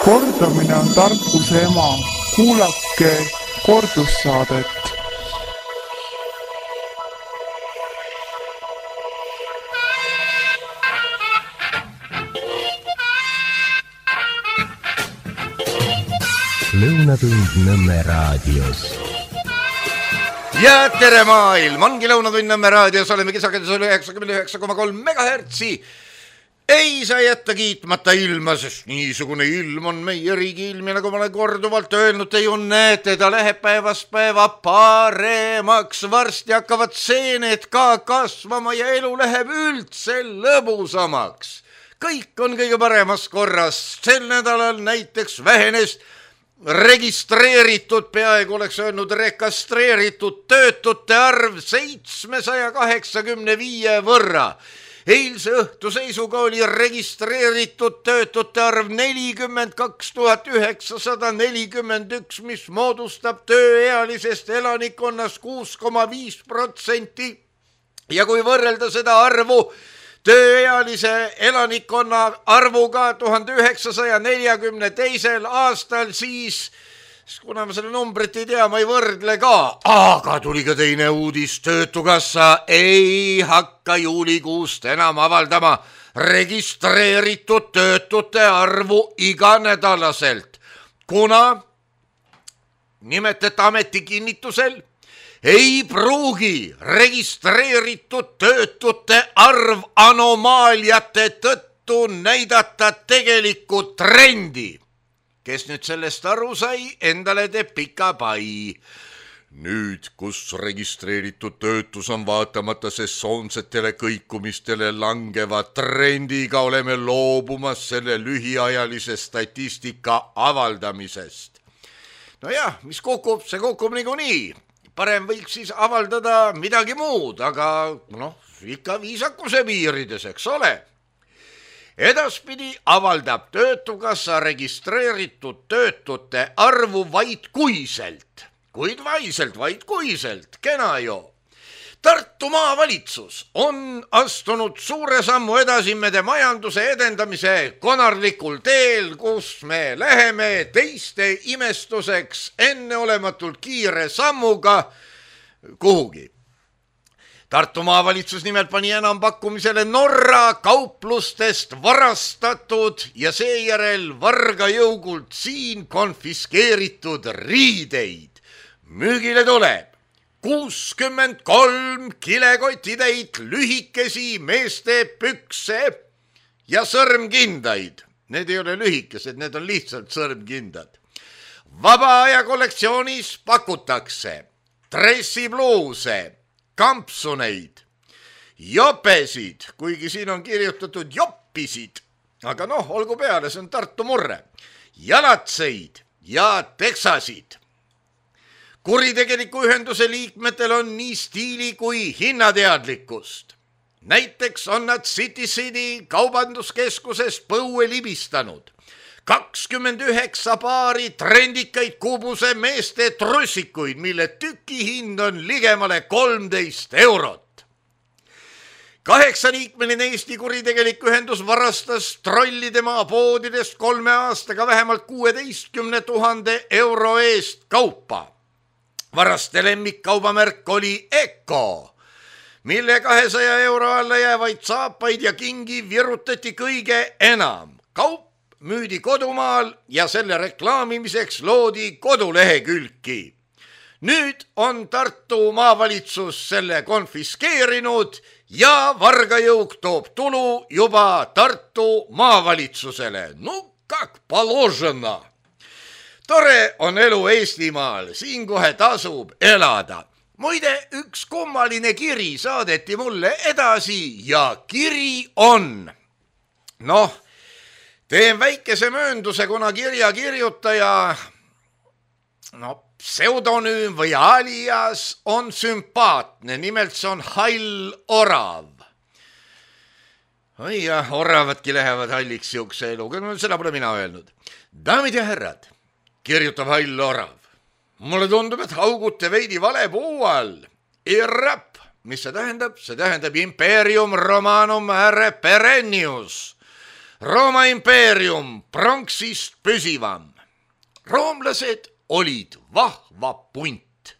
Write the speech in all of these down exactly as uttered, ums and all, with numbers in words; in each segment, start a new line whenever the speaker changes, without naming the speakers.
kordamine on tarkuse ema. Kuulake kordussaadet.
Lõunatund Nõmme raadios.
Ja tere maailm, ongi Lõunatund Nõmme raadios, oleme kisakendus üheksakümmend üheksa koma kolm megahertsi. Ei saa jätta kiitmata ilma, sest niisugune ilm on meie riigi ilm ja nagu ma olen korduvalt öelnud, te ju näete, ta läheb päevast päeva paremaks, varsti hakkavad seened ka kasvama ja elu läheb üldse lõbusamaks. Kõik on kõige paremas korras, sel nädalal näiteks vähenes registreeritud, peaaegu oleks öelnud rekastreeritud töötute arv seitsmesaja kaheksakümne viie võrra. Eilse õhtu seisuga oli registreeritud töötute arv nelikümmend kaks tuhat üheksasada nelikümmend üks, mis moodustab tööealisest elanikkonnast kuus koma viis protsenti. Ja kui võrrelda seda arvu tööealise elanikkonna arvuga tuhande üheksasaja neljakümne teisel aastal, siis kuna ma selle numbrit ei tea, ma ei võrdle ka. Aga tuli ka teine uudis, Töötukassa ei hakka juulikuust enam avaldama registreeritud töötute arvu iganädalaselt, kuna nimetati ameti kinnitusel ei pruugi registreeritud töötute arv anomaaliate tõttu näidata tegelikku trendi. Kes nüüd sellest aru sai, endale teeb pika pai. Nüüd, kus registreeritud töötus on vaatamata sesoonsetele kõikumistele langeva trendiga, oleme loobumas selle lühiajalise statistika avaldamisest. No jah, mis kukub, see kukub niikuinii. Parem võiks siis avaldada midagi muud, aga noh, ikka viisakuse piirides, eks ole. Edaspidi avaldab Töötukassa registreeritud töötute arvu vaid kuiselt, kuid vaiselt, vaid kuiselt, kena jo. Tartu maavalitsus on astunud suure sammu edasi mede majanduse edendamise konarlikul teel, kus me läheme teiste imestuseks enneolematult kiire sammuga kuhugi. Tartu maavalitsus nimelt pani enam pakkumisele Norra kauplustest varastatud ja seejärel vargajõugult siin konfiskeeritud riideid. Müügile tuleb kuuskümmend kolm kilekotitäit lühikesi meeste pükse ja sõrmkindaid. Need ei ole lühikesed, need on lihtsalt sõrmkindad. Vaba aja kollektsioonis pakutakse dressipluuse, kampsuneid, jopesid, kuigi siin on kirjutatud joppisid, aga noh, olgu peale, see on Tartu murre, jalatseid ja teksasid. Kuritegeliku ühenduse liikmetel on nii stiili kui hinnateadlikkust. Näiteks on nad City City kaubanduskeskusest põue libistanud kakskümmend üheksa paari trendikaid kubuse meeste trussikuid, mille tükihind on ligemale kolmteist eurot. Kaheksaliikmeline Eesti kuritegelik ühendus varastas trollide maapoodidest kolme aastaga vähemalt kuueteistkümne tuhande euro eest kaupa. Varaste lemmikkaubamärk oli Eko, mille kahesaja euro alla jäävaid saapaid ja kingi virutati kõige enam. Kaup müüdi kodumaal ja selle reklaamimiseks loodi kodulehekülki. Nüüd on Tartu maavalitsus selle konfiskeerinud ja vargajõuk toob tulu juba Tartu maavalitsusele. No kak položena. Tore on elu Eestimaal, siin kohe tasub elada. Muide, üks kummaline kiri saadeti mulle edasi ja kiri on. Noh, teen väikese möönduse, kuna kirja kirjutaja, no, pseudonüüm või alias on sümpaatne, nimelt see on Hall Orav. Oi jah, oravadki lähevad halliks siukse eluga, no seda pole mina öelnud. Daamid ja härrad, kirjutab Hall Orav. Mulle tundub, et haugute veidi vale puu all. Irrap, mis see tähendab? See tähendab Imperium Romanum Are Perennius. Rooma impeerium pronksist püsivam. Roomlased olid vahva punt.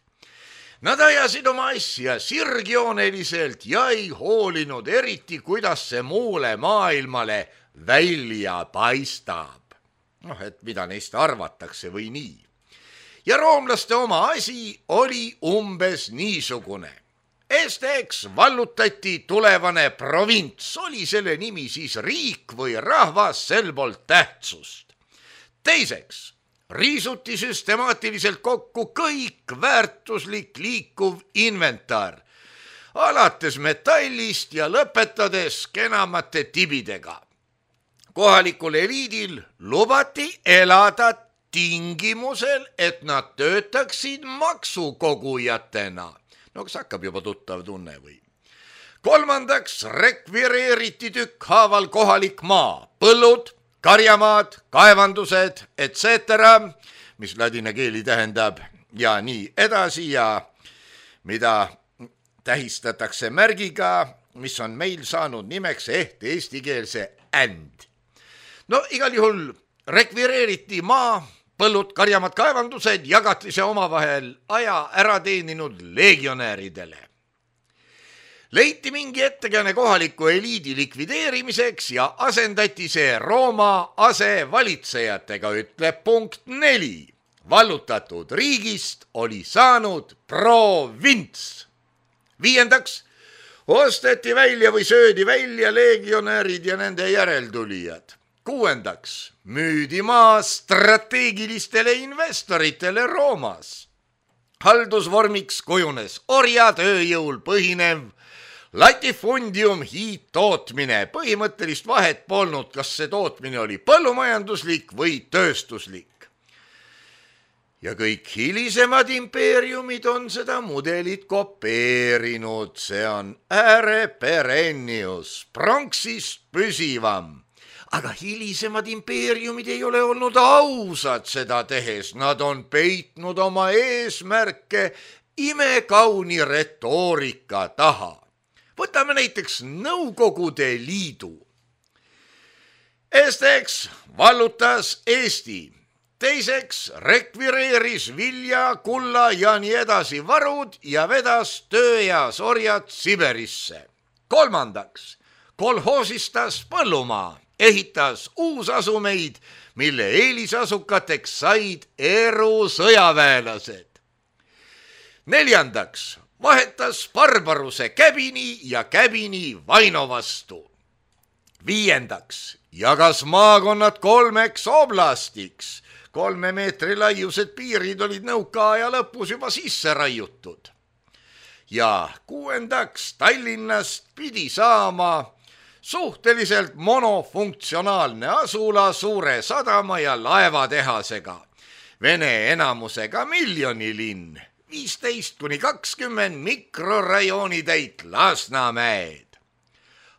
Nad ajasid oma asja sirgjooneliselt ja ei hoolinud eriti, kuidas see muule maailmale välja paistab. Noh, et mida neist arvatakse või nii. Ja roomlaste oma asi oli umbes niisugune. Esiteks vallutati tulevane provints, oli selle nimi siis riik või rahvas, sel polnud tähtsust. Teiseks riisuti süstemaatiliselt kokku kõik väärtuslik liikuv inventar, alates metallist ja lõpetades kenamate tibidega. Kohalikul eliidil lubati elada tingimusel, et nad töötaksid maksukogujatena. No kas hakkab juba tuttav tunne või? Kolmandaks rekvireeriti tükkhaaval kohalik maa, põllud, karjamaad, kaevandused, et cetera, mis ladina keeli tähendab ja nii edasi ja mida tähistatakse märgiga, mis on meil saanud nimeks ehk eestikeelse and. No igal juhul rekvireeriti maa, põllud, karjamad, kaevandused jagati see omavahel aja ära teeninud legionääridele. Leiti mingi ettekääne kohaliku eliidi likvideerimiseks ja asendati see Rooma asevalitsejatega, ütleb punkt neli. Vallutatud riigist oli saanud provints. Viiendaks osteti välja või söödi välja legionäärid ja nende järeltulijad. Kuuendaks müüdi maa strateegilistele investoritele Roomas. Haldusvormiks kujunes orjatööjõul põhinev latifundium hiidtootmine. Põhimõttelist vahet polnud, kas see tootmine oli põllumajanduslik või tööstuslik. Ja kõik hilisemad impeeriumid on seda mudelit kopeerinud. See on ääre perennius, pronksist püsivam. Aga hilisemad impeeriumid ei ole olnud ausad seda tehes, nad on peitnud oma eesmärke imekauni retoorika taha. Võtame näiteks Nõukogude Liidu. Esiteks vallutas Eesti, teiseks rekvireeris vilja, kulla ja nii edasi varud ja vedas tööeas orjad Siberisse. Kolmandaks kolhoosistas põllumaa. Ehitas uusasumeid, mille eelisasukateks said eru sõjaväelased. Neljandaks vahetas barbaruse käbini ja käbini vaino vastu. Viiendaks jagas maakonnad kolmeks oblastiks. Kolme meetri laiused piirid olid nõukaaja lõpus juba sisse raiutud. Ja kuuendaks Tallinnast pidi saama suhteliselt monofunktsionaalne asula suure sadama ja laevatehasega. Vene enamusega miljonilinn, viisteist kuni kakskümmend mikrorajooni täit Lasnamäed.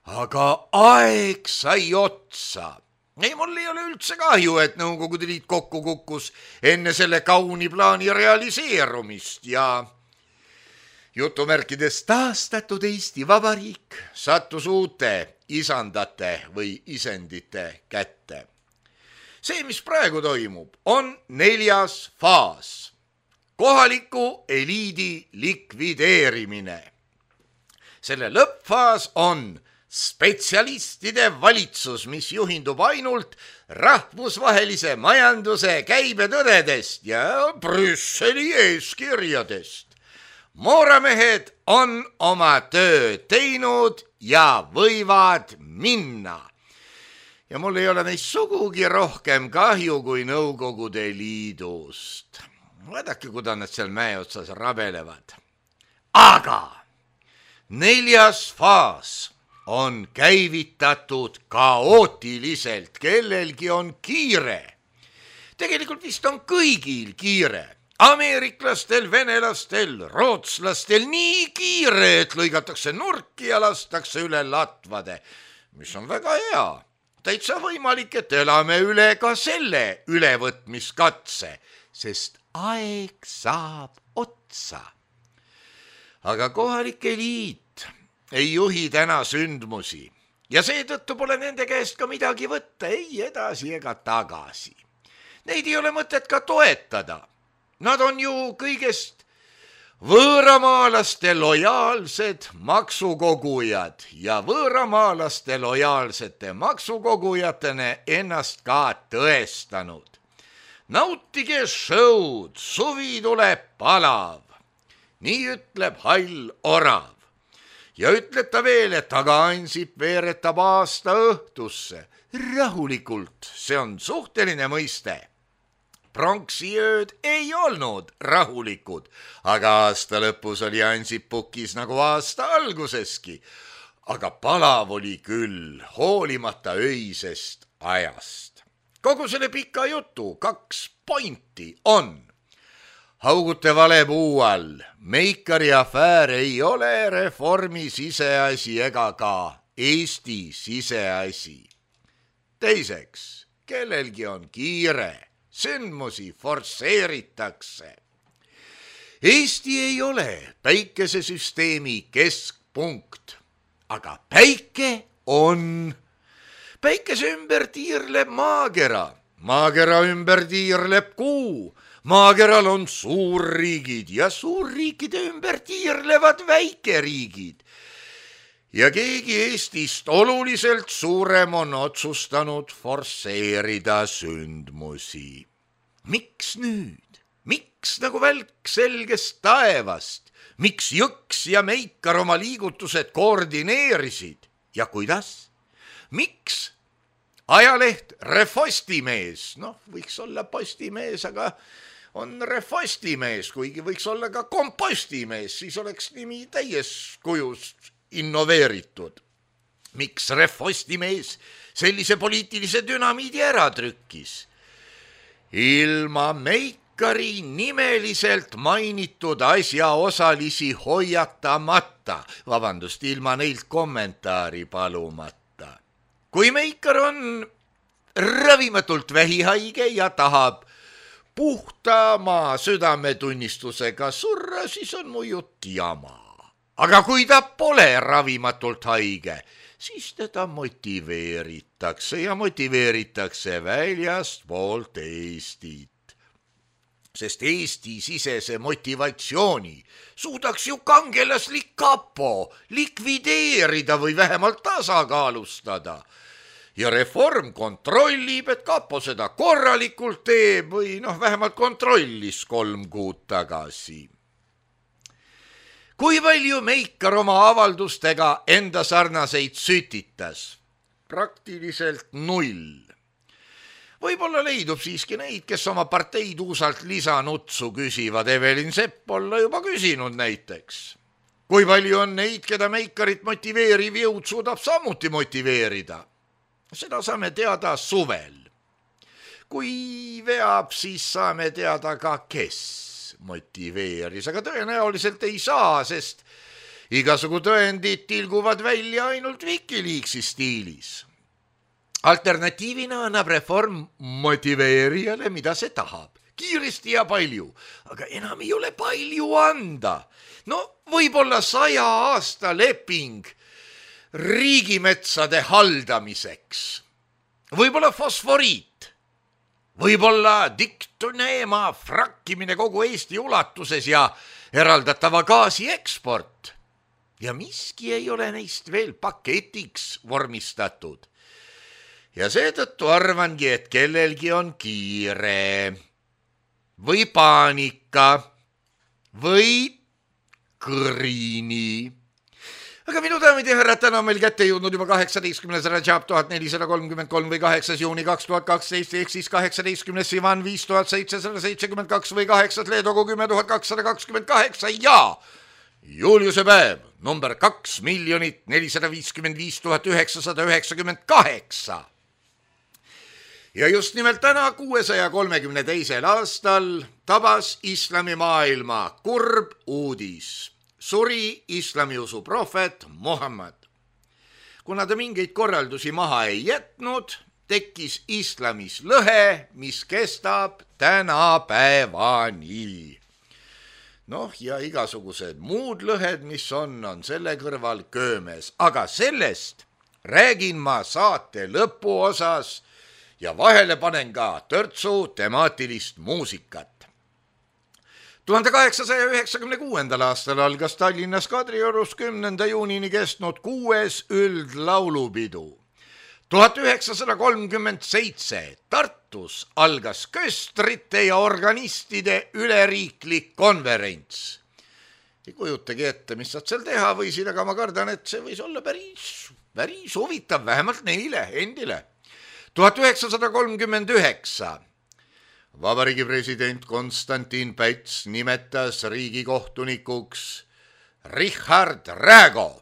Aga aeg sai otsa. Ei, mul ei ole üldse kahju, et Nõukogude Liit kokku kukkus enne selle kauni plaani realiseerumist ja jutumärkides taastatud Eesti Vabariik sattus uute isandate või isendite kätte. See, mis praegu toimub, on neljas faas. Kohaliku eliidi likvideerimine. Selle lõppfaas on spetsialistide valitsus, mis juhindub ainult rahvusvahelise majanduse käibetõdedest ja Brüsseli eeskirjadest. Mooramehed on oma töö teinud ja võivad minna. Ja mul ei ole neist sugugi rohkem kahju kui Nõukogude Liidust. Vaadake, kuidas nad seal mäe otsas rabelevad. Aga neljas faas on käivitatud kaootiliselt, kellelgi on kiire. Tegelikult vist on kõigil kiire. Ameeriklastel, venelastel, rootslastel nii kiire, et lõigatakse nurki ja lastakse üle latvade, mis on väga hea. Täitsa võimalik, et elame üle ka selle ülevõtmiskatse, sest aeg saab otsa. Aga kohalik eliit ei juhi täna sündmusi. ja seetõttu pole nende käest ka midagi võtta, ei edasi ega tagasi. Neid ei ole mõtet ka toetada. Nad on ju kõigest võõramaalaste lojaalsed maksukogujad ja võõramaalaste lojaalsete maksukogujatena ennast ka tõestanud. Nautige show'd, suvi tuleb palav, nii ütleb hall orav. Ja ütleb ta veel, et aga Ansip veeretab aasta õhtusse. Rahulikult, see on suhteline mõiste. Pronksiööd ei olnud rahulikud, aga aasta lõpus oli Ansip pukis nagu aasta alguseski. Aga palav oli küll, hoolimata öisest ajast. Kogu selle pika jutu kaks pointi on. Haugute vale puu all, Meikari afäär ei ole reformi siseasi ega ka Eesti siseasi. Teiseks, kellelgi on kiire, sündmusi forsseeritakse. Eesti ei ole päikesesüsteemi keskpunkt, aga päike on. Päikese ümber tiirleb maakera, maakera ümber tiirleb kuu. Maakeral on suurriigid ja suurriikide ümber tiirlevad väikeriigid. Ja keegi Eestist oluliselt suurem on otsustanud forsseerida sündmusi. Miks nüüd? Miks nagu välk selgest taevast? Miks Jõks ja Meikar oma liigutused koordineerisid? Ja kuidas? Miks? Ajaleht Refostimees, noh, võiks olla postimees, aga on Refostimees, kuigi võiks olla ka kompostimees, siis oleks nimi täies kujus innoveeritud. Miks Refostimees sellise poliitilise dünamiidi ära trükkis? Ilma Meikari nimeliselt mainitud asjaosalisi hoiatamata, vabandust, ilma neilt kommentaari palumata. Kui Meikar on ravimatult vähihaige ja tahab puhta maa südametunnistusega surra, siis on mu jutt jama. Aga kui ta pole ravimatult haige, siis teda motiveeritakse ja motiveeritakse väljast poolt Eestit. Sest Eesti sisese motivatsiooni suudaks ju kangelaslik kapo likvideerida või vähemalt tasakaalustada. Ja reform kontrollib, et kapo seda korralikult teeb või noh, vähemalt kontrollis kolm kuud tagasi. Kui palju Meikar oma avaldustega enda sarnaseid sütitas? Praktiliselt null. Võib-olla leidub siiski neid, kes oma parteid uusalt lisanutsu küsivad. Evelin Sepp olla juba küsinud näiteks. Kui palju on neid, keda Meikarit motiveeriv jõud suudab samuti motiveerida? Seda saame teada suvel. Kui veab, siis saame teada ka, kes motiveeris, aga tõenäoliselt ei saa, sest igasugu tõendid tilguvad välja ainult Wikileaksi stiilis. Alternatiivina annab reform motiveerijale, mida see tahab. Kiiresti ja palju, aga enam ei ole palju anda. No võib-olla saja aasta leping riigimetsade haldamiseks. Võib-olla fosforiit. Võib-olla diktoneema frakkimine kogu Eesti ulatuses ja eraldatava gaasi eksport. Ja miski ei ole neist veel paketiks vormistatud. Ja seetõttu arvangi, et kellelgi on kiire või paanika või kõrini. Aga minu daamid ja härrad, täna on meil kätte jõudnud juba kaheksateistkümnes Rajab tuhat nelisada kolmkümmend kolm või kaheksas juuni kaks tuhat kaksteist ehk siis kaheksateistkümnes Sivan viis tuhat seitsesada seitsekümmend kaks või kaheksas Leedogu kümme tuhat kakssada kakskümmend kaheksa ja Juliuse päev number kaks miljonit nelisada viiskümmend viis tuhat üheksasada üheksakümmend kaheksa. Ja just nimelt täna kuuesaja kolmekümne teisel aastal tabas islamimaailma kurb uudis. Suri islamiusu prohvet Muhammad. Kuna ta mingeid korraldusi maha ei jätnud, tekkis islamis lõhe, mis kestab tänapäevani. Noh, ja igasugused muud lõhed, mis on, on selle kõrval köömes. Aga sellest räägin ma saate lõpuosas ja vahele panen ka törtsu temaatilist muusikat. tuhande kaheksasaja üheksakümne kuuendal aastal algas Tallinnas Kadriorus kümnenda juunini kestnud kuues üldlaulupidu. tuhat üheksasada kolmkümmend seitse Tartus algas köstrite ja organistide üleriiklik konverents. Ei kujutagi ette, mis saad seal teha võisid, aga ma kardan, et see võis olla päris, päris huvitav, vähemalt neile endile. tuhat üheksasada kolmkümmend üheksa Vabariigi president Konstantin Päts nimetas riigikohtunikuks Richard Räägo.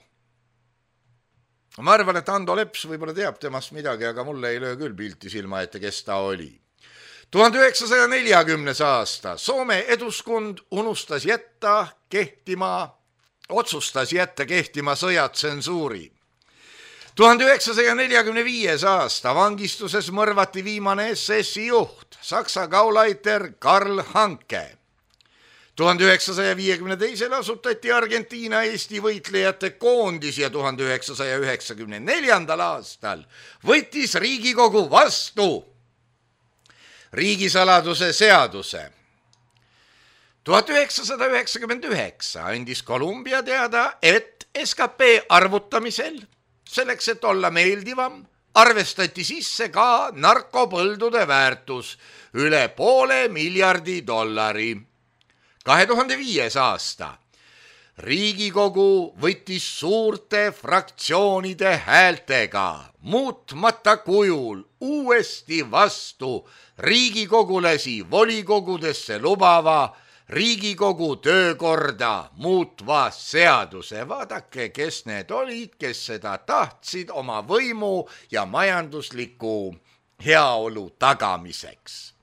Ma arvan, et Ando Leps võib-olla teab temast midagi, aga mulle ei löö küll pilti silma ette, kes ta oli. tuhande üheksasaja neljakümnes aasta Soome Eduskund unustas jätta kehtima, otsustas jätta kehtima sõjatsensuuri. tuhande üheksasaja neljakümne viies aasta vangistuses mõrvati viimane S S-i juht, Saksa Gauleiter Karl Hanke. tuhande üheksasaja viiekümne teisel asutati Argentiina Eesti võitlejate koondis ja tuhande üheksasaja üheksakümne neljandal aastal võttis Riigikogu vastu riigisaladuse seaduse. tuhat üheksasada üheksakümmend üheksa andis Kolumbia teada, et S K P arvutamisel selleks, et olla meeldivam, arvestati sisse ka narkopõldude väärtus üle poole miljardi dollari. kahe tuhande viies aasta Riigikogu võttis suurte fraktsioonide häältega muutmata kujul uuesti vastu riigikogulasi volikogudesse lubava Riigikogu töökorda muutva seaduse. Vaadake, kes need olid, kes seda tahtsid oma võimu ja majandusliku heaolu tagamiseks.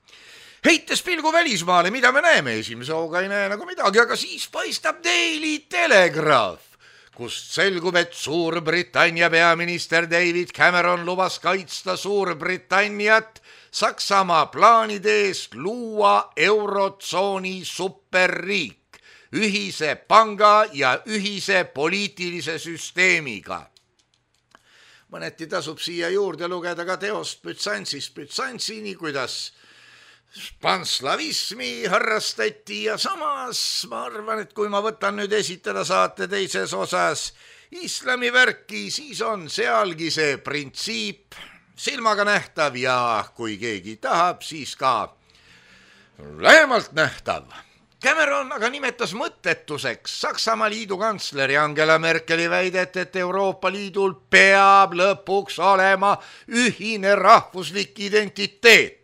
Heites pilgu välismaale, mida me näeme, esimese hooga ei näe nagu midagi, aga siis paistab Daily Telegraph, kust selgub, et Suurbritannia peaminister David Cameron lubas kaitsta Suurbritanniat Saksamaa plaanide eest luua eurotsooni superriik ühise panga ja ühise poliitilise süsteemiga. Mõneti tasub siia juurde lugeda ka teost Bütsantsist Bütsantsini, kuidas panslavismi harrastati ja samas ma arvan, et kui ma võtan nüüd esitada saate teises osas islami värki, siis on sealgi see printsiip silmaga nähtav ja kui keegi tahab, siis ka lähemalt nähtav. Cameron aga nimetas mõttetuseks Saksamaa liidu kantsleri Angela Merkeli väidet, et Euroopa Liidul peab lõpuks olema ühine rahvuslik identiteet.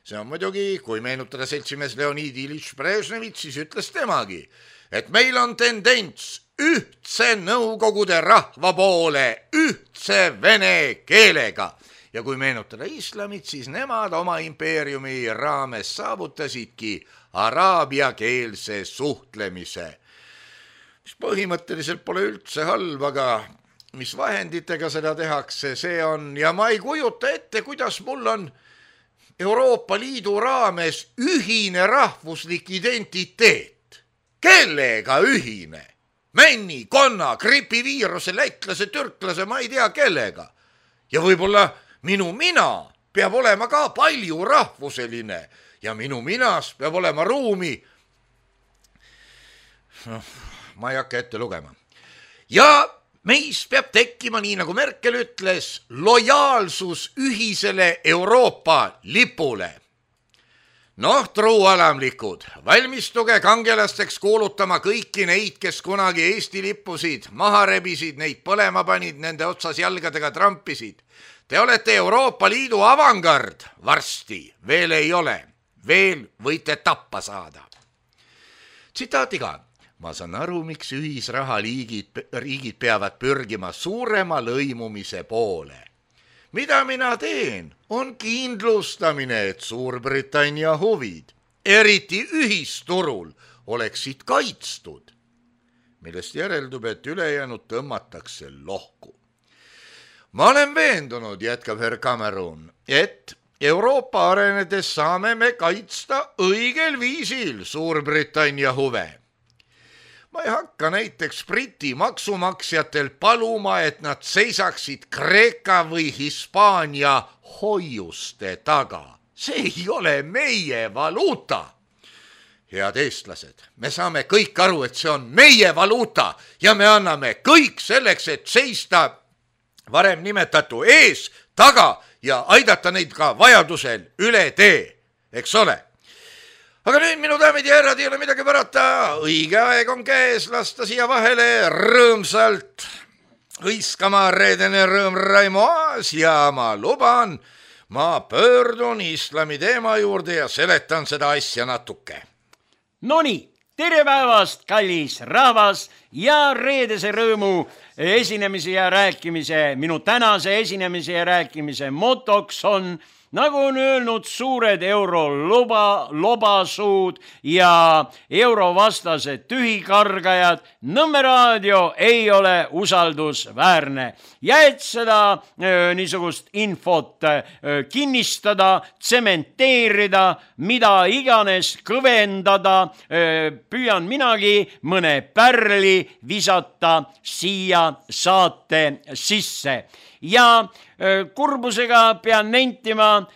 See on muidugi, kui meenutada seltsimees Leonid Ilyich Brežnevit, siis ütles temagi, et meil on tendents ühtse Nõukogude rahva poole ühtse vene keelega. Ja kui meenutada islamit, siis nemad oma impeeriumi raames saavutasidki araabiakeelse suhtlemise. Mis põhimõtteliselt pole üldse halb, aga mis vahenditega seda tehakse, see on, ja ma ei kujuta ette, kuidas mul on Euroopa Liidu raames ühine rahvuslik identiteet. Kellega ühine? Männi, konna, gripiviiruse, lätlase, türklase, ma ei tea kellega. Ja võib-olla minu mina peab olema ka palju rahvuseline ja minu minas peab olema ruumi. No, ma ei hakka ette lugema. Ja meis peab tekkima, nii nagu Merkel ütles, lojaalsus ühisele Euroopa lipule. Noh, truualamlikud, valmistuge kangelasteks kuulutama kõiki neid, kes kunagi Eesti lippusid, maha rebisid, neid põlema panid, nende otsas jalgadega trampisid. Te olete Euroopa Liidu avangard, varsti veel ei ole, veel võite tappa saada. Tsitaatiga. Ma saan aru, miks ühisraha liigid, riigid peavad pürgima suurema lõimumise poole. Mida mina teen, on kindlustamine, et Suurbritannia huvid, eriti ühisturul, oleksid kaitstud, millest järeldub, et ülejäänud tõmmatakse lohku. Ma olen veendunud, jätkab Herr Cameron, et Euroopa arenedes saame me kaitsta õigel viisil Suurbritannia huve. ma ei hakka näiteks Briti maksumaksjatel paluma, et nad seisaksid Kreeka või Hispaania hoiuste taga. See ei ole meie valuuta. Head eestlased, me saame kõik aru, et see on meie valuuta ja me anname kõik selleks, et seista varem nimetatu ees, taga ja aidata neid ka vajadusel üle tee, eks ole. Aga nüüd, minu daamid ja härrad, ei ole midagi parata, õige aeg on käes lasta siia vahele rõõmsalt hõiskama reedene rõõm Raimo Aas ja ma luban, ma pöördun islami teema juurde ja seletan seda asja natuke.
Nonii, tere päevast, kallis rahvas ja reedese rõõmu esinemise ja rääkimise, minu tänase esinemise ja rääkimise motoks on, nagu on öelnud suured euroloba, lobasuud ja eurovastased tühikargajad, Nõmme raadio ei ole usaldusväärne. Ja et seda öö, niisugust infot öö, kinnistada, tsementeerida, mida iganes kõvendada, öö, püüan minagi mõne pärli visata siia saate sisse. Ja öö, kurbusega pean nentima,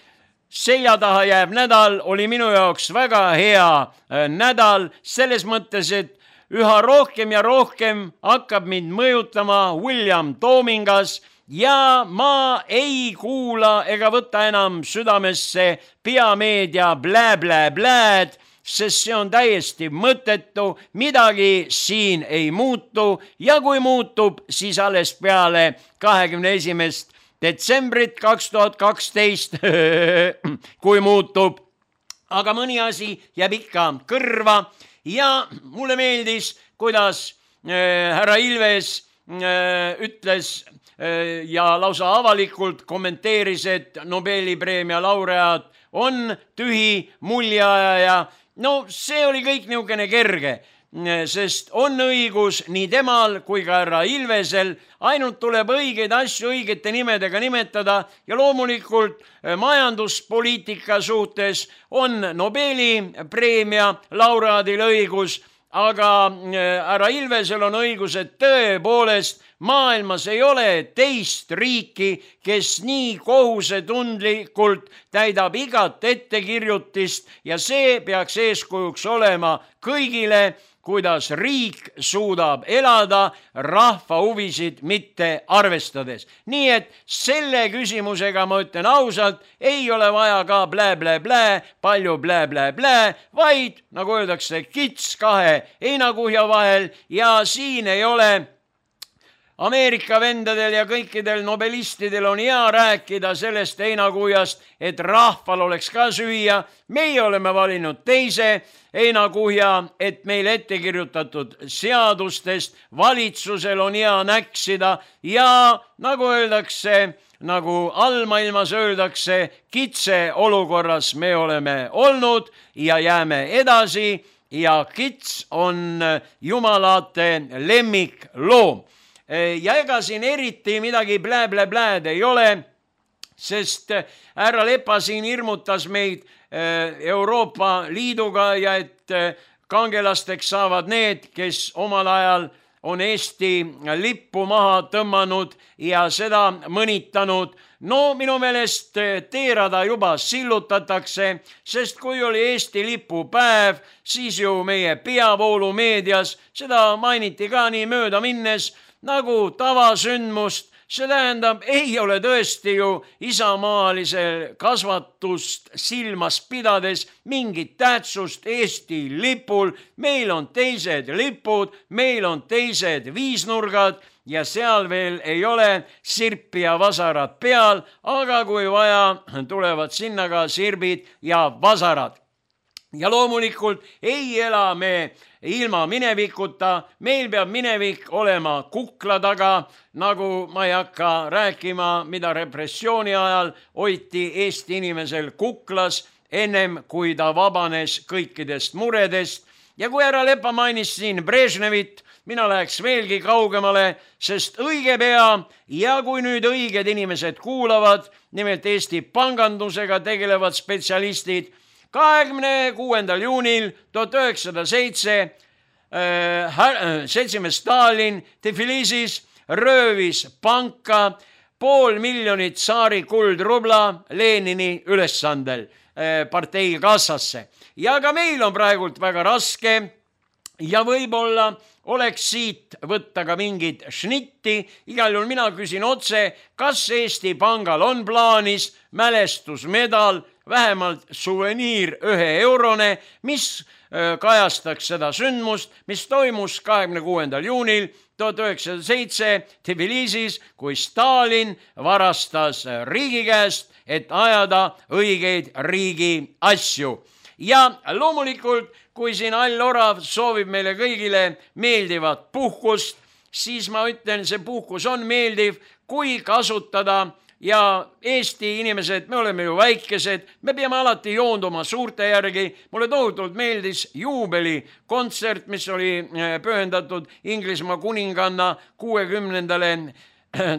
selja taha jääb nädal, oli minu jaoks väga hea öö, nädal, selles mõttes, et üha rohkem ja rohkem hakkab mind mõjutama William Toomingas ja ma ei kuula ega võta enam südamesse peameedia blä-blä-blääd, sest see on täiesti mõttetu, midagi siin ei muutu ja kui muutub, siis alles peale kahekümne esimest detsembrit kaks tuhat kaksteist, kui muutub, aga mõni asi jääb ikka kõrva. Ja mulle meeldis, kuidas äh, härra Ilves äh, ütles äh, ja lausa avalikult kommenteeris, et Nobeli preemia laureaat on tühi muljeajaja. No see oli kõik niisugune kerge, sest on õigus nii temal kui ka härra Ilvesel, ainult tuleb õigeid asju õigete nimedega nimetada ja loomulikult majanduspoliitika suhtes on Nobeli preemia laureaadil õigus, aga härra Ilvesel on õigus, et tõepoolest maailmas ei ole teist riiki, kes nii kohusetundlikult täidab igat ettekirjutist ja see peaks eeskujuks olema kõigile, kuidas riik suudab elada rahva huvisid mitte arvestades. Nii et selle küsimusega ma ütlen ausalt, ei ole vaja ka blä-blä-blä, palju blä-blä-blä, vaid nagu öeldakse, kits kahe heinakuhja vahel ja siin ei ole Ameerika vendadel ja kõikidel nobelistidel on hea rääkida sellest heinakuhjast, et rahval oleks ka süüa. Meie oleme valinud teise heinakuhja, et meil ettekirjutatud seadustest valitsusel on hea näksida ja nagu öeldakse, nagu allmaailmas öeldakse, kitse olukorras me oleme olnud ja jääme edasi ja kits on jumalate lemmikloom. Ja ega siin eriti midagi blä-blä-blääd ei ole, sest härra Lepa siin hirmutas meid Euroopa Liiduga ja et kangelasteks saavad need, kes omal ajal on Eesti lippu maha tõmmanud ja seda mõnitanud. No minu meelest teerada juba sillutatakse, sest kui oli Eesti lipu päev, siis ju meie peavoolumeedias seda mainiti ka nii mööda minnes, nagu tavasündmust, see tähendab, ei ole tõesti ju isamaalisel kasvatust silmas pidades mingit tähtsust Eesti lipul. Meil on teised lipud, meil on teised viisnurgad ja seal veel ei ole sirpi ja vasarad peal, aga kui vaja, tulevad sinna ka sirbid ja vasarad. Ja loomulikult ei ela me ilma minevikuta, meil peab minevik olema kukla taga, nagu ma ei hakka rääkima, mida repressiooni ajal hoiti Eesti inimesel kuklas, ennem kui ta vabanes kõikidest muredest. Ja kui härra Lepa mainis siin Brežnevit, mina läheks veelgi kaugemale, sest õige pea ja kui nüüd õiged inimesed kuulavad, nimelt Eesti pangandusega tegelevad spetsialistid, kahekümne kuuendal juunil tuhat üheksasada seitse seltsimees Stalin Tbilisis röövis panka pool miljonit tsaari kuldrubla Lenini ülesandel partei kassasse. Ja ka meil on praegult väga raske ja võib-olla oleks siit võtta ka mingid šnitti. Igal juhul mina küsin otse, kas Eesti Pangal on plaanis mälestusmedal, vähemalt suveniir ühe eurone, mis kajastaks seda sündmust, mis toimus kahekümne kuuendal juunil tuhat üheksasada seitse Tbilisis, kui Stalin varastas riigi käest, et ajada õigeid riigi asju. Ja loomulikult, kui siin All Orav soovib meile kõigile meeldivat puhkust, siis ma ütlen, see puhkus on meeldiv, kui kasutada. Ja Eesti inimesed, me oleme ju väikesed, me peame alati joonduma suurte järgi. Mulle tohutult meeldis juubeli kontsert, mis oli pühendatud Inglismaa kuninganna kuuekümnendale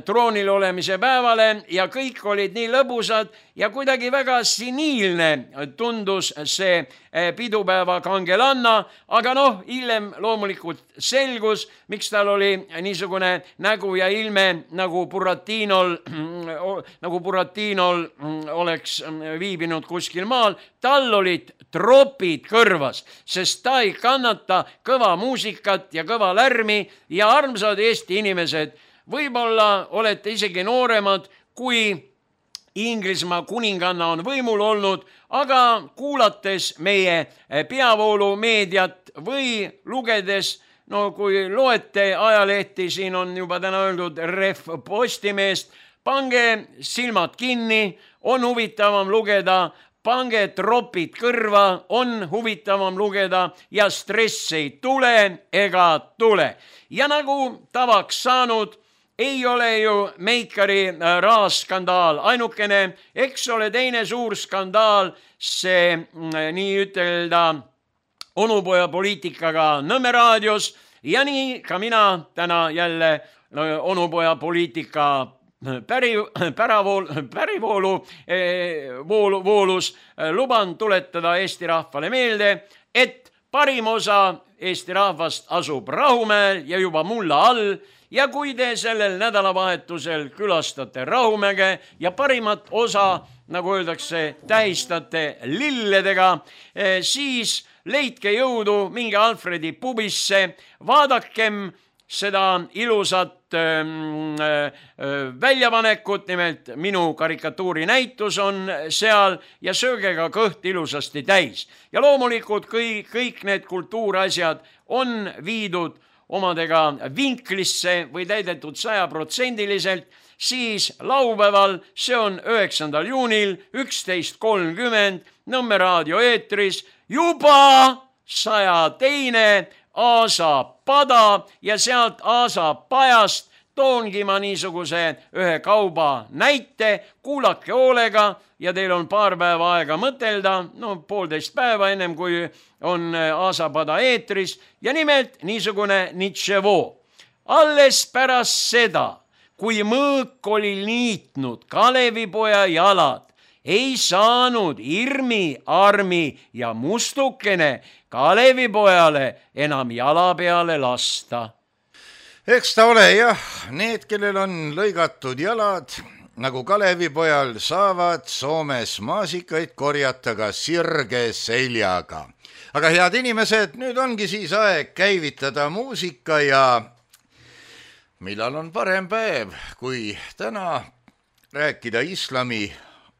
troonil olemise päevale ja kõik olid nii lõbusad ja kuidagi väga siniilne tundus see pidupäeva kangelanna, aga noh, hiljem loomulikult selgus, miks tal oli niisugune nägu ja ilme nagu Buratinol, nagu Buratinol oleks viibinud kuskil maal. Tal olid tropid kõrvas, sest ta ei kannata kõva muusikat ja kõva lärmi ja armsad Eesti inimesed, võib-olla olete isegi nooremad, kui Inglismaa kuninganna on võimul olnud, aga kuulates meie peavoolumeediat või lugedes, no kui loete ajalehti, siin on juba täna öeldud Ref Postimeest, pange silmad kinni, on huvitavam lugeda, pange tropid kõrva, on huvitavam lugeda ja stress ei tule ega tule. Ja nagu tavaks saanud, ei ole ju Meikari raaskandaal ainukene, eks ole teine suur skandaal, see nii ütelda onupoja poliitikaga Nõmme raadios ja nii ka mina täna jälle onupoja poliitika päri, päravool, pärivoolu voolu, voolus luban tuletada Eesti rahvale meelde, et parim osa Eesti rahvast asub Rahumäel ja juba mulla all. Ja kui te sellel nädalavahetusel külastate Rahumäge ja parimat osa, nagu öeldakse, tähistate lilledega, siis leidke jõudu, minge Alfredi pubisse, vaadakem seda ilusat väljapanekut, nimelt minu karikatuuri näitus on seal ja sööge ka kõht ilusasti täis. Ja loomulikult kõik, kõik need kultuurasjad on viidud omadega vinklisse või täidetud sajaprotsendiliselt, siis laupäeval, see on üheksandal juunil, üksteist kolmkümmend, Nõmme raadio eetris, juba saja teine Aasa pada ja sealt Aasa pajast toongi ma niisuguse ühe kauba näite, kuulake hoolega ja teil on paar päeva aega mõtelda, no poolteist päeva ennem kui on Aasapada eetris ja nimelt niisugune Nitševo. Alles pärast seda, kui mõõk oli liitnud Kalevipoja jalad, ei saanud Irmi, Armi ja Mustukene Kalevipojale enam jala peale lasta.
Eks ta ole jah, need, kellel on lõigatud jalad, nagu Kalevipojal, saavad Soomes maasikaid korjata ka sirge seljaga. Aga head inimesed, nüüd ongi siis aeg käivitada muusika ja millal on parem päev, kui täna rääkida islami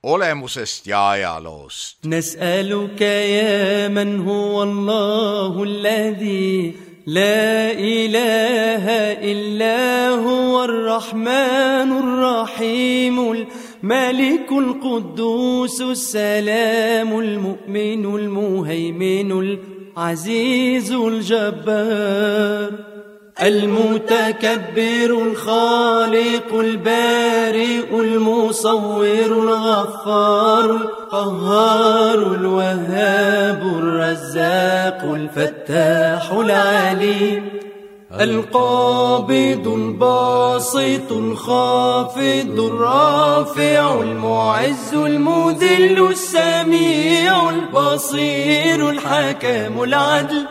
olemusest ja ajaloost.
Nas'aluka ya man huwa Allahu alladhi la ilaha illa huwa ar-Rahmanur Rahimul Malikul Quddusul Salamul Mu'minul Muhayminul Azizul Jabbar المتكبر الخالق البارئ المصور الغفار القهار الوهاب الرزاق الفتاح العليم القابض الباسط الخافض الرافع المعز المذل السميع البصير الحكم العدل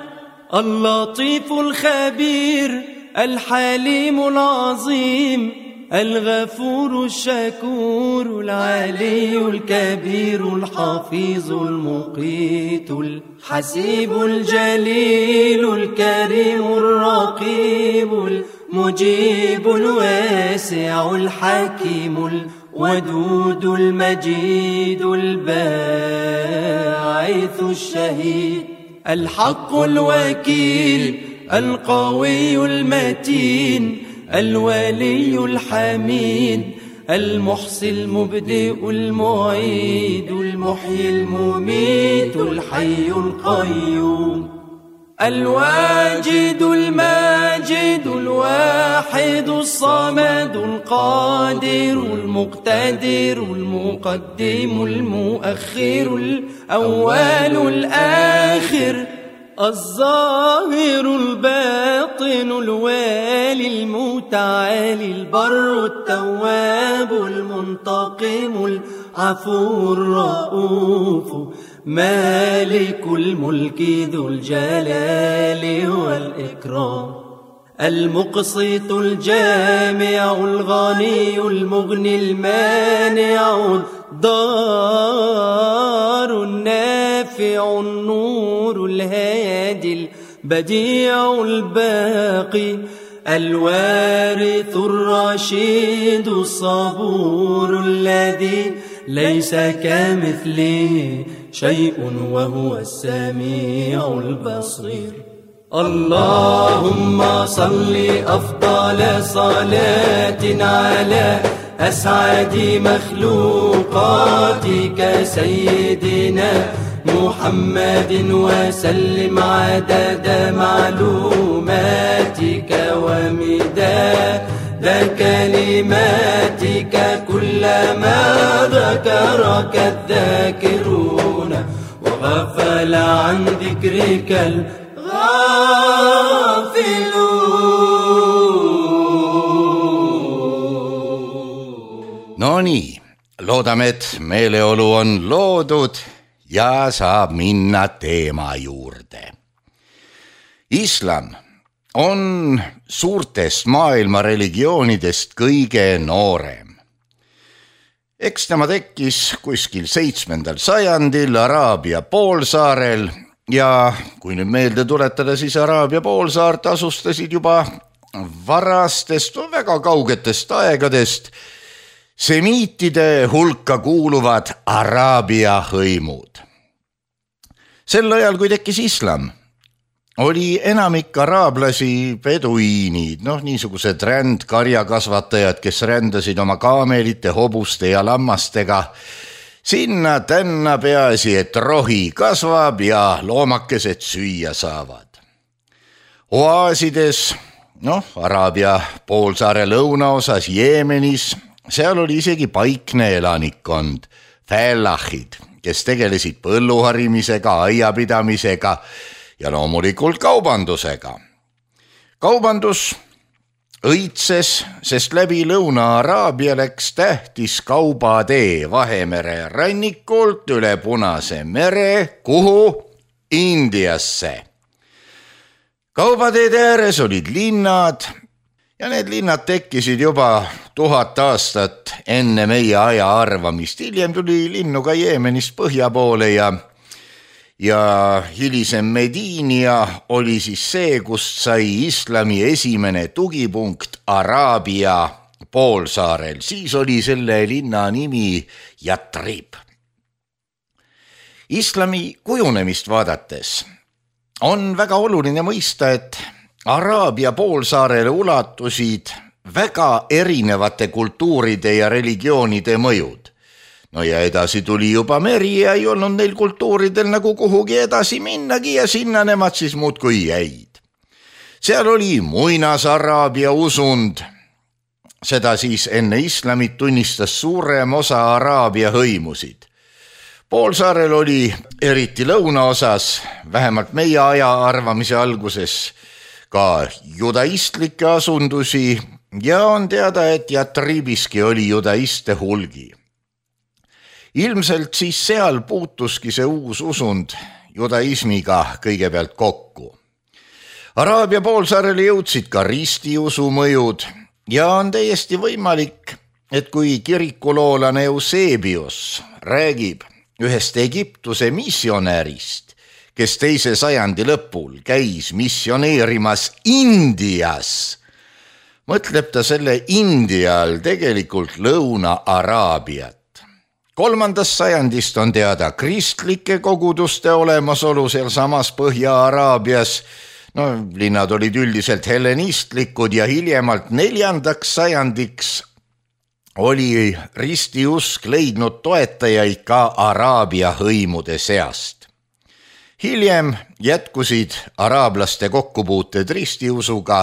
اللطيف الخبير الحليم العظيم الغفور الشكور العلي الكبير الحفيظ المقيت الحسيب الجليل الكريم الرقيب المجيب الواسع الحكيم الودود المجيد الباعث الشهيد الحق الوكيل القوي المتين الولي الحميد المحصي المبدئ المعيد المحيي المميت الحي القيوم الواجد الماجد الواحد الصمد القادر المقتدر المقدم المؤخر الأول الآخر الظاهر الباطن الوالي المتعالي البر التواب المنتقم العفو الرؤوف مالك الملك ذو الجلال والإكرام المقسط الجامع الغني المغني المانع الضار النافع النور الهادي البديع الباقي الوارث الرشيد الصبور الذي ليس كمثله شيء وهو السميع البصير اللهم صل أفضل صلاة على أسعد مخلوقاتك سيدنا محمد وسلم عدد معلوماتك ومداد كلماتك كلما ذكرك الذاكرون وغفل عن ذكرك الغافلون.
No nii, loodame, et meeleolu on loodud ja saab minna teema juurde. Islam on suurtest maailma religioonidest kõige noorem. Eks tema tekkis kuskil seitsmendal sajandil Araabia poolsaarel ja kui nüüd meelde tuletada, siis Araabia poolsaart asustasid juba varastest, väga kaugetest aegadest semiitide hulka kuuluvad Araabia hõimud. Sel ajal, kui tekkis islam, oli enamik araablasi beduiinid, noh niisugused rändkarjakasvatajad, kes rändasid oma kaamelite, hobuste ja lammastega sinna tänna, peaasi, et rohi kasvab ja loomakesed süüa saavad. Oaasides, noh, Araabia poolsaare lõunaosas Jeemenis, seal oli isegi paikne elanikkond, fällahid, kes tegelesid põlluharimisega, aiapidamisega ja loomulikult kaubandusega. Kaubandus õitses, sest läbi Lõuna-Araabia läks tähtis kaubatee Vahemere rannikult üle Punase mere, kuhu? Indiasse. Kaubateede ääres olid linnad ja need linnad tekkisid juba tuhat aastat enne meie aja arvamist. Hiljem tuli linnu ka Jeemenist põhja poole ja ja hilisem Mediinia oli siis see, kust sai islami esimene tugipunkt Araabia poolsaarel. Siis oli selle linna nimi Yatrib. Islami kujunemist vaadates on väga oluline mõista, et Araabia poolsaarele ulatusid väga erinevate kultuuride ja religioonide mõjud. No ja edasi tuli juba meri ja ei olnud neil kultuuridel nagu kuhugi edasi minnagi ja sinna nemad siis muudkui jäid. Seal oli muinas Araabia usund. Seda siis enne islamit tunnistas suurem osa Araabia hõimusid. Poolsaarel oli eriti lõunaosas, vähemalt meie aja arvamise alguses, ka judaistlikke asundusi ja on teada, et Yatribiski oli judaiste hulgi. Ilmselt siis seal puutuski see uus usund judaismiga kõigepealt kokku. Araabia poolsaarele jõudsid ka ristiusu mõjud ja on täiesti võimalik, et kui kirikuloolane Eusebius räägib ühest Egiptuse missionärist, kes teise sajandi lõpul käis missioneerimas Indias, mõtleb ta selle India all tegelikult Lõuna-Araabiat. Kolmandast sajandist on teada kristlike koguduste olemasolu seal samas Põhja-Araabias. No, linnad olid üldiselt hellenistlikud ja hiljemalt neljandaks sajandiks oli ristiusk leidnud toetajaid ka Araabia hõimude seast. Hiljem jätkusid araablaste kokkupuuted ristiusuga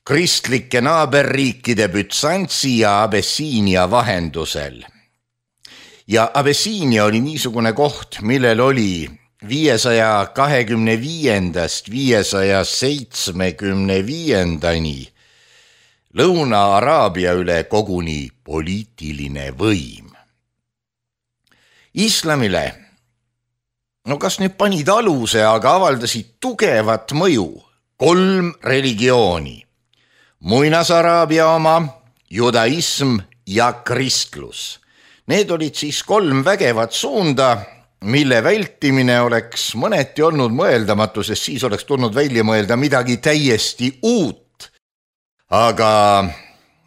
kristlike naaberriikide Bütsantsi ja Abessiinia vahendusel. Ja Abessiinia oli niisugune koht, millel oli viiesaja kahekümne viiendast viiesaja seitsmekümne viiendani Lõuna-Araabia üle koguni poliitiline võim. Islamile, no kas nüüd panid aluse, aga avaldasid tugevat mõju kolm religiooni. Muinas-Araabia oma, judaism ja kristlus. Need olid siis kolm vägevat suunda, mille vältimine oleks mõneti olnud mõeldamatu, sest siis oleks tulnud välja mõelda midagi täiesti uut. Aga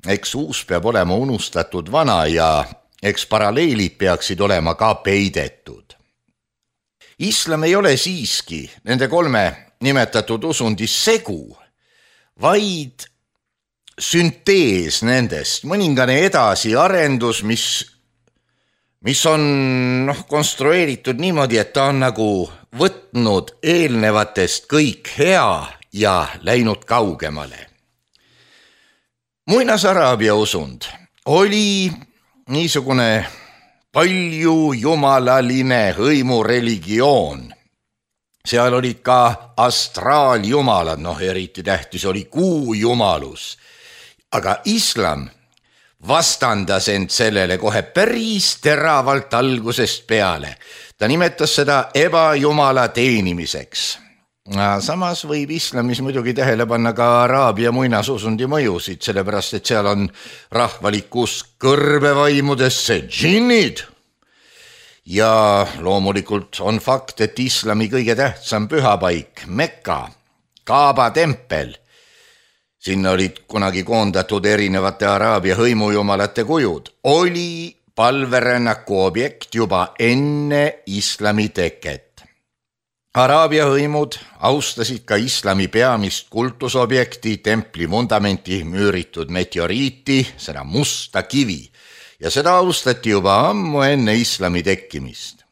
eks uus peab olema unustatud vana ja eks paralleelid peaksid olema ka peidetud. Islam ei ole siiski nende kolme nimetatud usundis segu, vaid süntees nendest, mõningane edasiarendus, mis mis on noh, konstrueeritud niimoodi, et ta on nagu võtnud eelnevatest kõik hea ja läinud kaugemale. Muinas-Araabia usund oli niisugune palju jumalaline hõimureligioon. Seal olid ka astraaljumalad, noh eriti tähtis oli kuujumalus. Aga islam vastandas end sellele kohe päris teravalt algusest peale. Ta nimetas seda ebajumala teenimiseks. Samas võib islamis muidugi tähele panna ka Araabia muinasusundi mõjusid, sellepärast et seal on rahvalikus kõrbevaimudesse džinnid. Ja loomulikult on fakt, et islami kõige tähtsam pühapaik, Mekka, Kaaba tempel, sinna olid kunagi koondatud erinevate Araabia hõimujumalate kujud, oli palverännaku objekt juba enne islami teket. Araabia hõimud austasid ka islami peamist kultusobjekti, templi vundamenti müüritud meteoriiti, seda musta kivi, ja seda austati juba ammu enne islami tekkimist.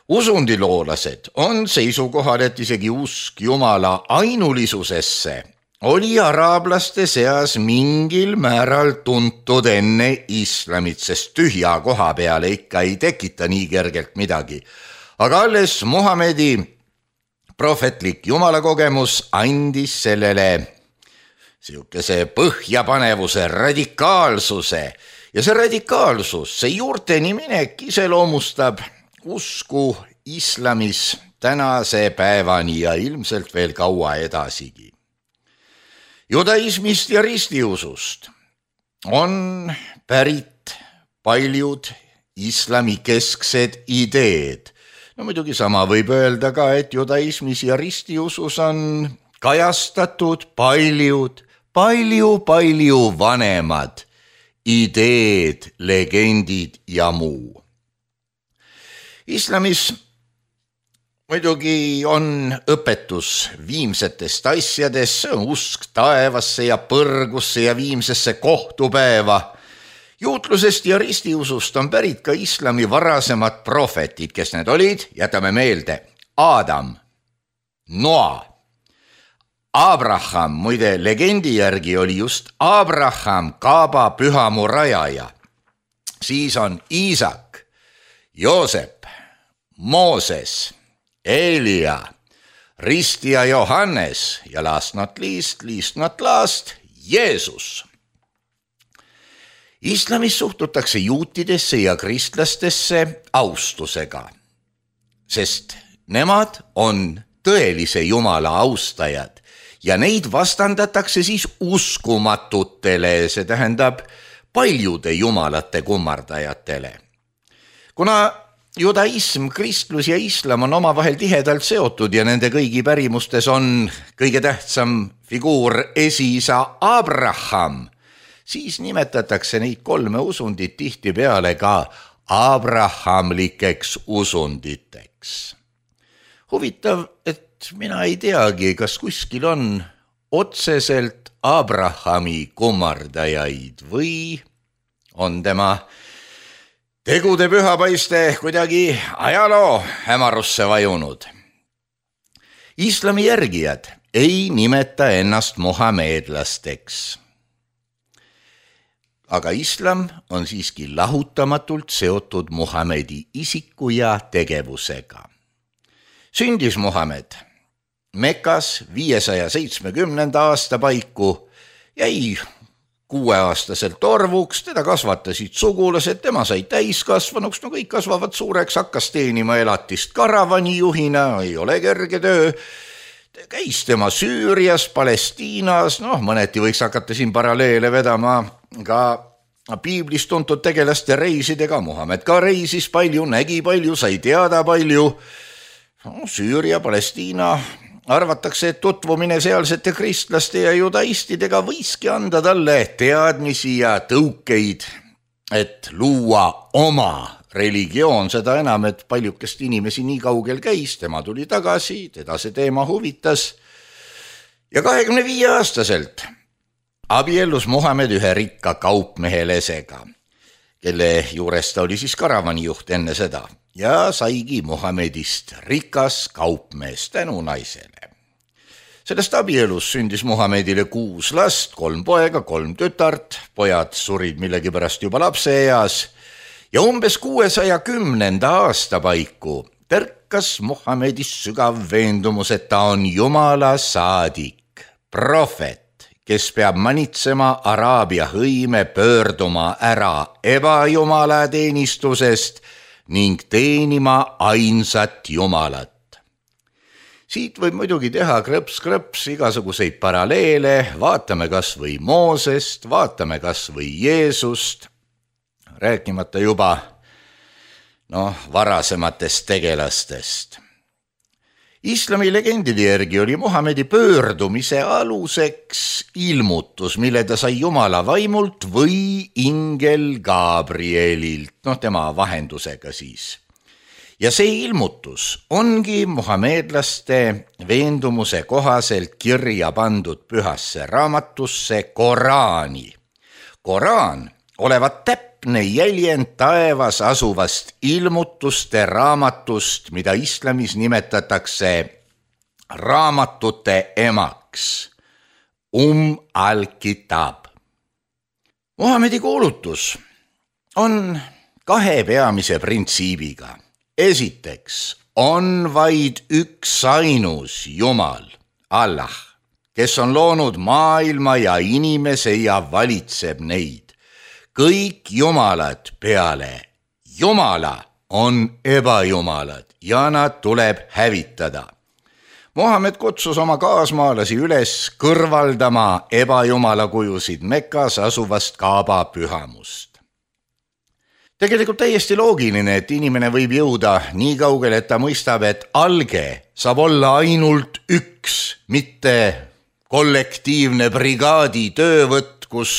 Usundiloolased on seisukohal, et isegi usk jumala ainulisusesse oli araablaste seas mingil määral tuntud enne islamit, sest tühja koha peale ikka ei tekita nii kergelt midagi. Aga alles Muhamedi prohvetlik jumalakogemus andis sellele siukese põhjapanevuse, radikaalsuse. Ja see radikaalsus, see juurteni minek iseloomustab usku islamis tänase päevani ja ilmselt veel kaua edasigi. Judaismist ja ristiusust on pärit paljud islami kesksed ideed. No muidugi sama võib öelda ka, et judaismis ja ristiusus on kajastatud paljud, palju, palju vanemad ideed, legendid ja muu. Islamis muidugi on õpetus viimsetest asjadest, see on usk taevasse ja põrgusse ja viimsesse kohtupäeva. Juutlusest ja ristiusust on pärit ka islami varasemad prohvetid, kes need olid, jätame meelde, Adam, Noa, Abraham, muide legendi järgi oli just Abraham Kaaba pühamu rajaja. Siis on Iisak, Joosep, Mooses, Elia, ristija Johannes ja last not least, least not last, Jeesus. Islamis suhtutakse juutidesse ja kristlastesse austusega, sest nemad on tõelise Jumala austajad ja neid vastandatakse siis uskumatutele, see tähendab paljude jumalate kummardajatele. Kuna judaism, kristlus ja islam on omavahel tihedalt seotud ja nende kõigi pärimustes on kõige tähtsam figuur esiisa Abraham, siis nimetatakse neid kolme usundit tihtipeale ka abrahamlikeks usunditeks. Huvitav, et mina ei teagi, kas kuskil on otseselt Abrahami kummardajaid või on tema tegude pühapaiste kuidagi ajaloo hämarusse vajunud. Islami järgijad ei nimeta ennast muhameedlasteks. Aga islam on siiski lahutamatult seotud Muhamedi isiku ja tegevusega. Sündis Muhamed Mekas viiesaja seitsmekümnenda aasta paiku, jäi kuueaastaselt orvuks, teda kasvatasid sugulased, tema sai täiskasvanuks, no kõik kasvavad suureks, hakkas teenima elatist karavanijuhina, ei ole kerge töö, käis tema Süürias, Palestiinas, noh mõneti võiks hakata siin paralleele vedama ka piiblis tuntud tegelaste reisidega, Muhamed ka reisis palju, nägi palju, sai teada palju, no, Süüria, Palestiina, arvatakse, et tutvumine sealsete kristlaste ja judaistidega võiski anda talle teadmisi ja tõukeid, et luua oma religioon, seda enam, et paljukest inimesi nii kaugel käis, tema tuli tagasi, teda see teema huvitas ja kahekümne viie aastaselt abiellus Muhamed ühe rikka kaupmehelesega, kelle juures ta oli siis karavanijuht enne seda ja saigi Muhamedist rikas kaupmees tänu naisele. Sellest abielus sündis Muhamedile kuus last, kolm poega, kolm tütart, pojad surid millegipärast juba lapseeas ja umbes kuuesaja kümnenda aasta paiku tärkas Muhamedis sügav veendumus, et ta on Jumala saadik, prohvet, kes peab manitsema Araabia hõime pöörduma ära ebajumala teenistusest ning teenima ainsat Jumalat. Siit võib muidugi teha krõps-krõps igasuguseid paralleele, vaatame kas või Moosest, vaatame kas või Jeesust, rääkimata juba noh, varasematest tegelastest. Islami legendide järgi oli Muhamedi pöördumise aluseks ilmutus, mille ta sai Jumala vaimult või ingel Gabrielilt, noh tema vahendusega siis. Ja see ilmutus ongi muhameedlaste veendumuse kohaselt kirja pandud pühasse raamatusse Koraani. Koraan olevat täpne jäljend taevas asuvast ilmutuste raamatust, mida islamis nimetatakse raamatute emaks, um al-kitab. Muhamedi kuulutus on kahe peamise printsiibiga. Esiteks on vaid üks ainus Jumal, Allah, kes on loonud maailma ja inimese ja valitseb neid. Kõik jumalad peale Jumala on ebajumalad ja nad tuleb hävitada. Muhamed kutsus oma kaasmaalasi üles kõrvaldama ebajumala kujusid Mekas asuvast Kaaba pühamust. Tegelikult täiesti loogiline, et inimene võib jõuda nii kaugele, et ta mõistab, et alge saab olla ainult üks, mitte kollektiivne brigaadi töövõtt, kus,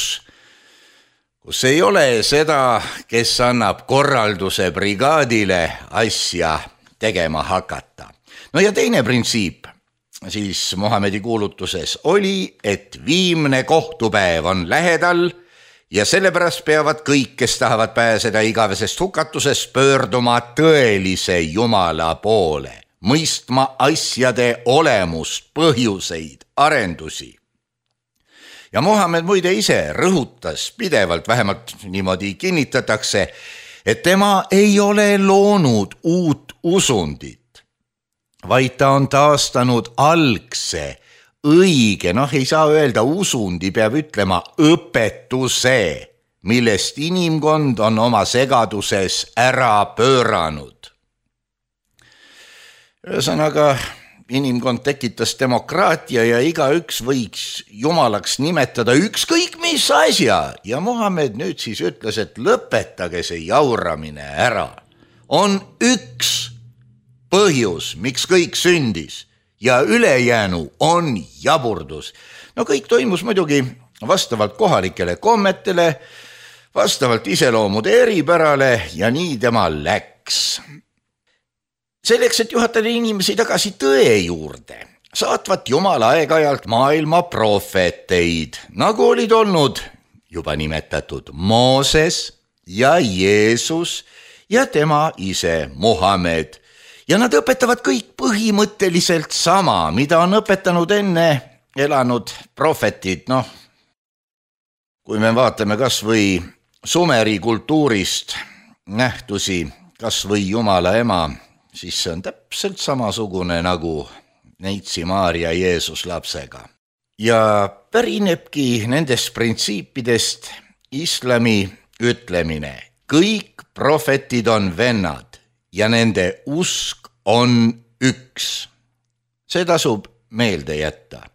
kus ei ole seda, kes annab korralduse brigaadile asja tegema hakata. No ja teine printsiip siis Muhamedi kuulutuses oli, et viimne kohtupäev on lähedal ja sellepärast peavad kõik, kes tahavad pääseda igavesest hukatusest, pöörduma tõelise Jumala poole, mõistma asjade olemust, põhjuseid, arendusi. Ja Muhamed muide ise rõhutas pidevalt, vähemalt niimoodi kinnitatakse, et tema ei ole loonud uut usundit, vaid ta on taastanud algse, õige, noh ei saa öelda usundi, peab ütlema õpetuse, millest inimkond on oma segaduses ära pööranud. Ühesõnaga, inimkond tekitas demokraatia ja igaüks võiks jumalaks nimetada ükskõik mis asja. Ja Muhamed nüüd siis ütles, et lõpetage see jauramine ära. On üks põhjus, miks kõik sündis ja ülejäänu on jaburdus. No kõik toimus muidugi vastavalt kohalikele kommetele, vastavalt iseloomude eripärale ja nii tema läks. Selleks, et juhatada inimesi tagasi tõe juurde, saatvat Jumal aeg-ajalt maailma prohveteid, nagu olid olnud juba nimetatud Mooses ja Jeesus ja tema ise Muhamed. Ja nad õpetavad kõik põhimõtteliselt sama, mida on õpetanud enne elanud prohvetid. Noh, kui me vaatame kas või Sumeri kultuurist nähtusi, kas või Jumala ema, siis see on täpselt samasugune nagu neitsi Maarja Jeesus lapsega. Ja pärinebki nendest printsiipidest islami ütlemine. Kõik prohvetid on vennad ja nende usk on üks. See tasub meelde jätta.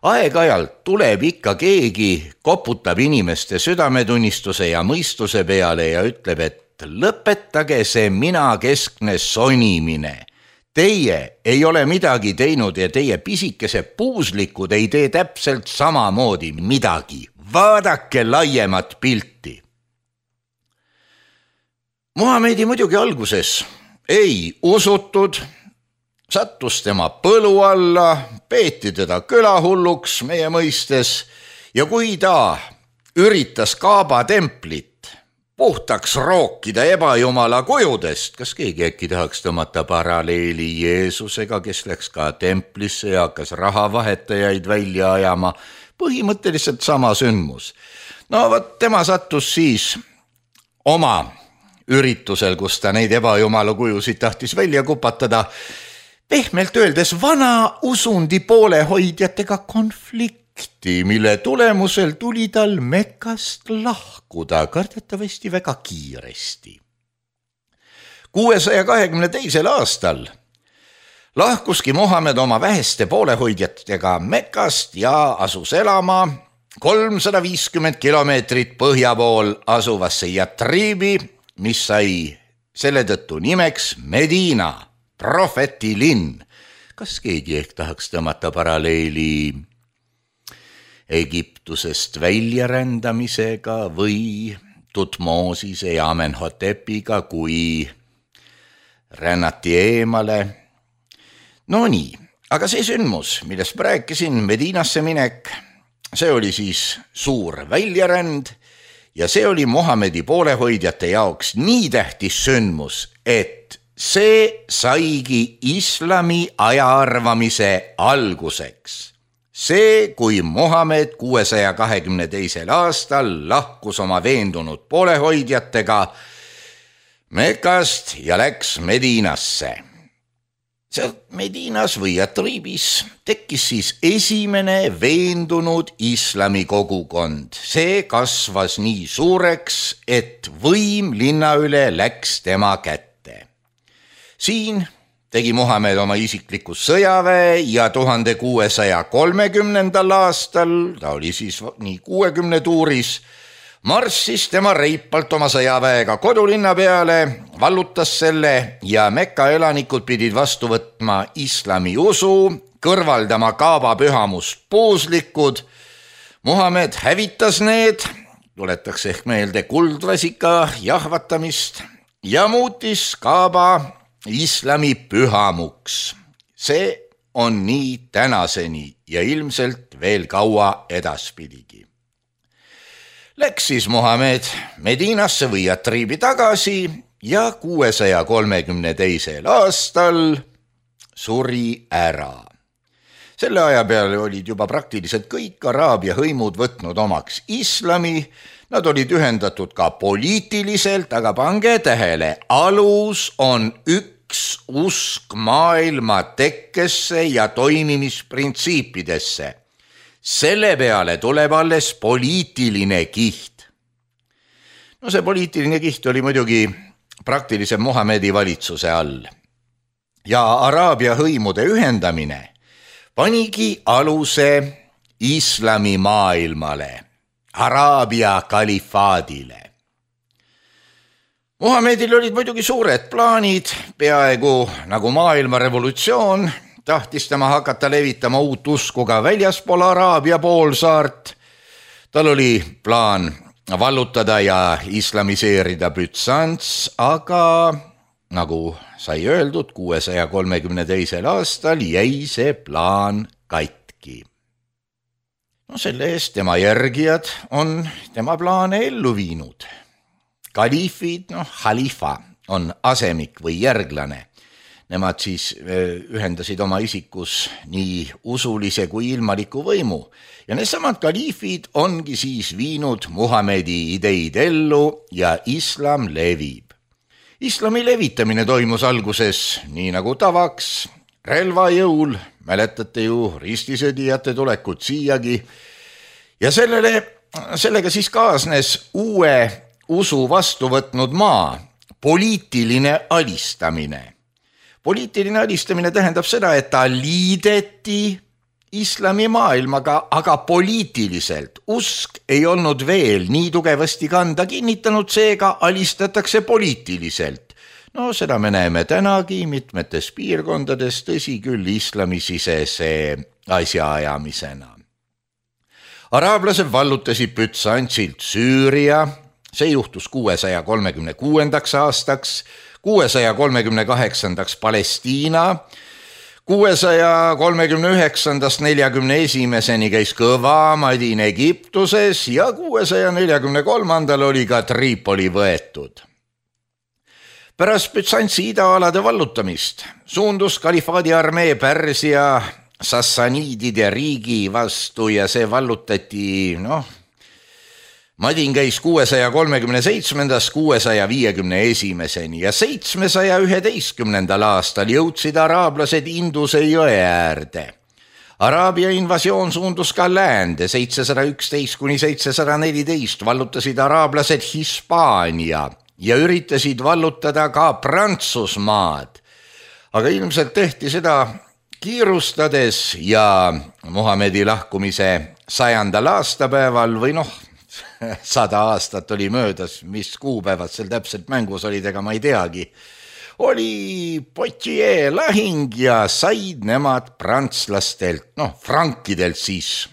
Aeg-ajalt tuleb ikka keegi, koputab inimeste südametunnistuse ja mõistuse peale ja ütleb, et lõpetage see mina-keskne sonimine. Teie ei ole midagi teinud ja teie pisikese puuslikud ei tee täpselt samamoodi midagi. Vaadake laiemat pilti. Muhamedi muidugi alguses ei usutud, sattus tema põlu alla, peeti teda külahulluks meie mõistes ja kui ta üritas Kaaba templit puhtaks rookida ebajumala kujudest, kas keegi äkki tahaks tõmmata paralleeli Jeesusega, kes läks ka templisse ja hakkas rahavahetajaid välja ajama, põhimõtteliselt sama sündmus. No võt, tema sattus siis oma üritusel, kus ta neid ebajumala kujusid tahtis välja kupatada, pehmelt öeldes vana usundi poolehoidjatega konflikti, mille tulemusel tuli tal Mekkast lahkuda kardetavasti väga kiiresti. kuuesaja kahekümne teisel aastal lahkuski Muhamed oma väheste poolehoidjatega Mekkast ja asus elama kolmsada viiskümmend kilomeetrit põhja pool asuvasse Yatribi, mis sai selle tõttu nimeks Medina, prohveti linn. Kas keegi ehk tahaks tõmmata paralleeli Egiptusest väljarändamisega või Tutmosise ja Amenhotepiga, kui rännati eemale? No nii, aga see sündmus, millest ma rääkisin, Medinasse minek, see oli siis suur väljaränd ja see oli Muhamedi poolehoidjate jaoks nii tähtis sündmus, et see saigi islami ajaarvamise alguseks. See, kui Muhamed kuuesaja kahekümne teisel aastal lahkus oma veendunud poolehoidjatega Mekast ja läks Medinasse. Sealt Medinas või Yatribis tekkis siis esimene veendunud islami kogukond. See kasvas nii suureks, et võim linna üle läks tema kätte. Siin tegi Muhamed oma isikliku sõjaväe ja tuhande kuuesaja kolmekümnendal aastal, ta oli siis nii kuuekümne tuuris, marssis tema reipalt oma sõjaväega kodulinna peale, vallutas selle ja Mekka elanikud pidid vastu võtma islami usu, kõrvaldama Kaaba pühamust puuslikud. Muhamed hävitas need, tuletaks ehk meelde kuldvasika jahvatamist ja muutis Kaaba islami pühamuks. See on nii tänaseni ja ilmselt veel kaua edaspidigi. Läks siis Muhamed Medinasse või Yatribi tagasi ja kuuesaja kolmekümne teisel aastal suri ära. Selle aja peale olid juba praktiliselt kõik Araabia hõimud võtnud omaks islami. Nad olid ühendatud ka poliitiliselt, aga pange tähele, alus on üks usk maailma tekkesse ja toimimisprintsiipidesse. Selle peale tuleb alles poliitiline kiht. No see poliitiline kiht oli muidugi praktiliselt Muhamedi valitsuse all. ja Araabia hõimude ühendamine panigi aluse islamimaailmale, Araabia kalifaadile. Muhamedil olid muidugi suured plaanid, peaaegu nagu maailma revolutsioon, tahtis tema hakata levitama uut usku ka väljaspool Araabia poolsaart. Tal oli plaan vallutada ja islamiseerida Bütsants, aga nagu sai öeldud, kuuesaja kolmekümne teisel aastal jäi see plaan katki. No selle eest tema järgijad on tema plaane ellu viinud. Kaliifid, noh, halifa on asemik või järglane. Nemad siis ühendasid oma isikus nii usulise kui ilmaliku võimu. Ja needsamad kaliifid ongi siis viinud Muhamedi ideid ellu ja islam levib. Islami levitamine toimus alguses nii nagu tavaks, relvajõul, mäletate ju ristisõdijate tulekut siiagi, ja sellele, sellega siis kaasnes uue usu vastu võtnud maa, poliitiline alistamine. Poliitiline alistamine tähendab seda, et ta liideti islami maailmaga, aga poliitiliselt. Usk ei olnud veel nii tugevasti kanda kinnitanud, seega alistatakse poliitiliselt. No seda me näeme tänagi mitmetes piirkondades, tõsi küll islamisisese asjaajamisena. Araablased vallutasid Bütsantsilt Süüria, see juhtus kuuesaja kolmekümne kuuendaks aastaks, kuuesaja kolmekümne kaheksandaks Palestiina, kuuesaja kolmekümne üheksandast neljakümne esimeseni käis kõva Madin Egiptuses ja kuuesaja neljakümne kolmandal oli ka Tripoli võetud. Pärast Bütsantsi idaalade vallutamist suundus kalifaadi armee Pärsia sassaniidide riigi vastu ja see vallutati, noh, Madin käis kuuesaja kolmekümne seitsmendast kuuesaja viiekümne esimeseni ja seitsmesaja üheteistkümnendal aastal jõudsid araablased Induse jõe äärde. Araabia invasioon suundus ka läände, seitsesada üksteist kuni seitsesada neliteist vallutasid araablased Hispaania ja üritasid vallutada ka Prantsusmaad. Aga ilmselt tehti seda kiirustades ja Muhamedi lahkumise sajandal aastapäeval või noh, sada aastat oli möödas, mis kuupäevad seal täpselt mängus olid, ega ma ei teagi. Oli Poitiers lahing ja said nemad prantslastelt, noh, frankidelt siis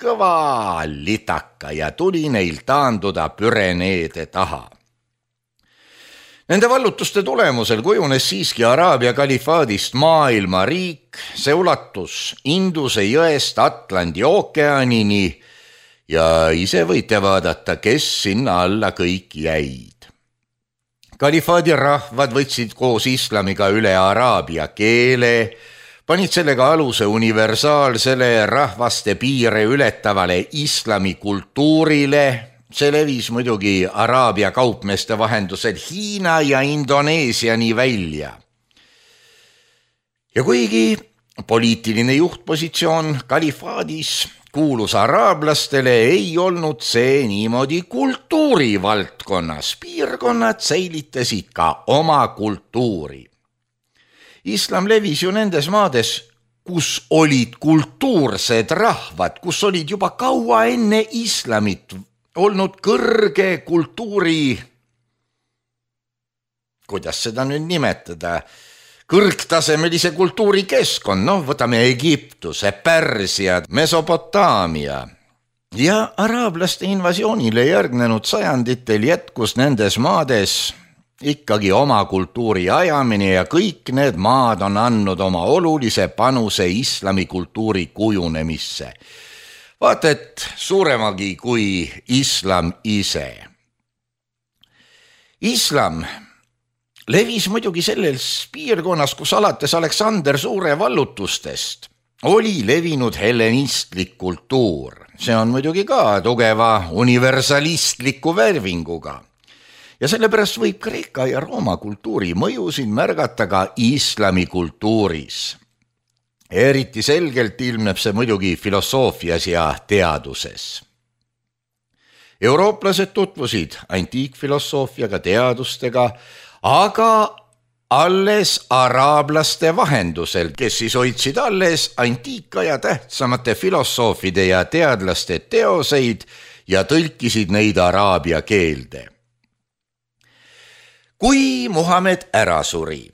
kõva litaka ja tuli neil taanduda Püreneede taha. Nende vallutuste tulemusel kujunes siiski Araabia kalifaadist maailma riik, see ulatus Induse jõest Atlandi ookeanini ja ise võite vaadata, kes sinna alla kõik jäid. Kalifaadi rahvad võtsid koos islamiga üle araabia keele, panid sellega aluse universaalsele rahvaste piire ületavale islami kultuurile. See levis muidugi Araabia kaupmeeste vahendusel Hiina ja Indoneesiani välja. Ja kuigi poliitiline juhtpositsioon kalifaadis kuulus araablastele, ei olnud see niimoodi kultuurivaldkonnas. Piirkonnad säilitasid ka oma kultuuri. Islam levis ju nendes maades, kus olid kultuursed rahvad, kus olid juba kaua enne islamit olnud kõrge kultuuri, kuidas seda nüüd nimetada, kõrgtasemelise kultuurikeskkond, noh, võtame Egiptuse, Pärsia, Mesopotaamia. Ja araablaste invasioonile järgnenud sajanditel jätkus nendes maades ikkagi oma kultuuri ajamine ja kõik need maad on andnud oma olulise panuse islami kultuuri kujunemisse. Vaata, et suuremagi kui islam ise. Islam levis muidugi selles piirkonnas, kus alates Aleksander Suure vallutustest oli levinud hellenistlik kultuur. See on muidugi ka tugeva universalistliku värvinguga. Ja sellepärast võib Kreeka ja Rooma kultuuri mõjusid märgata ka islami kultuuris. Eriti selgelt ilmneb see muidugi filosoofias ja teaduses. Eurooplased tutvusid antiikfilosoofiaga, teadustega, aga alles araablaste vahendusel, kes siis hoidsid alles antiika ja tähtsamate filosoofide ja teadlaste teoseid ja tõlkisid neid araabia keelde. Kui Muhamed ära suri,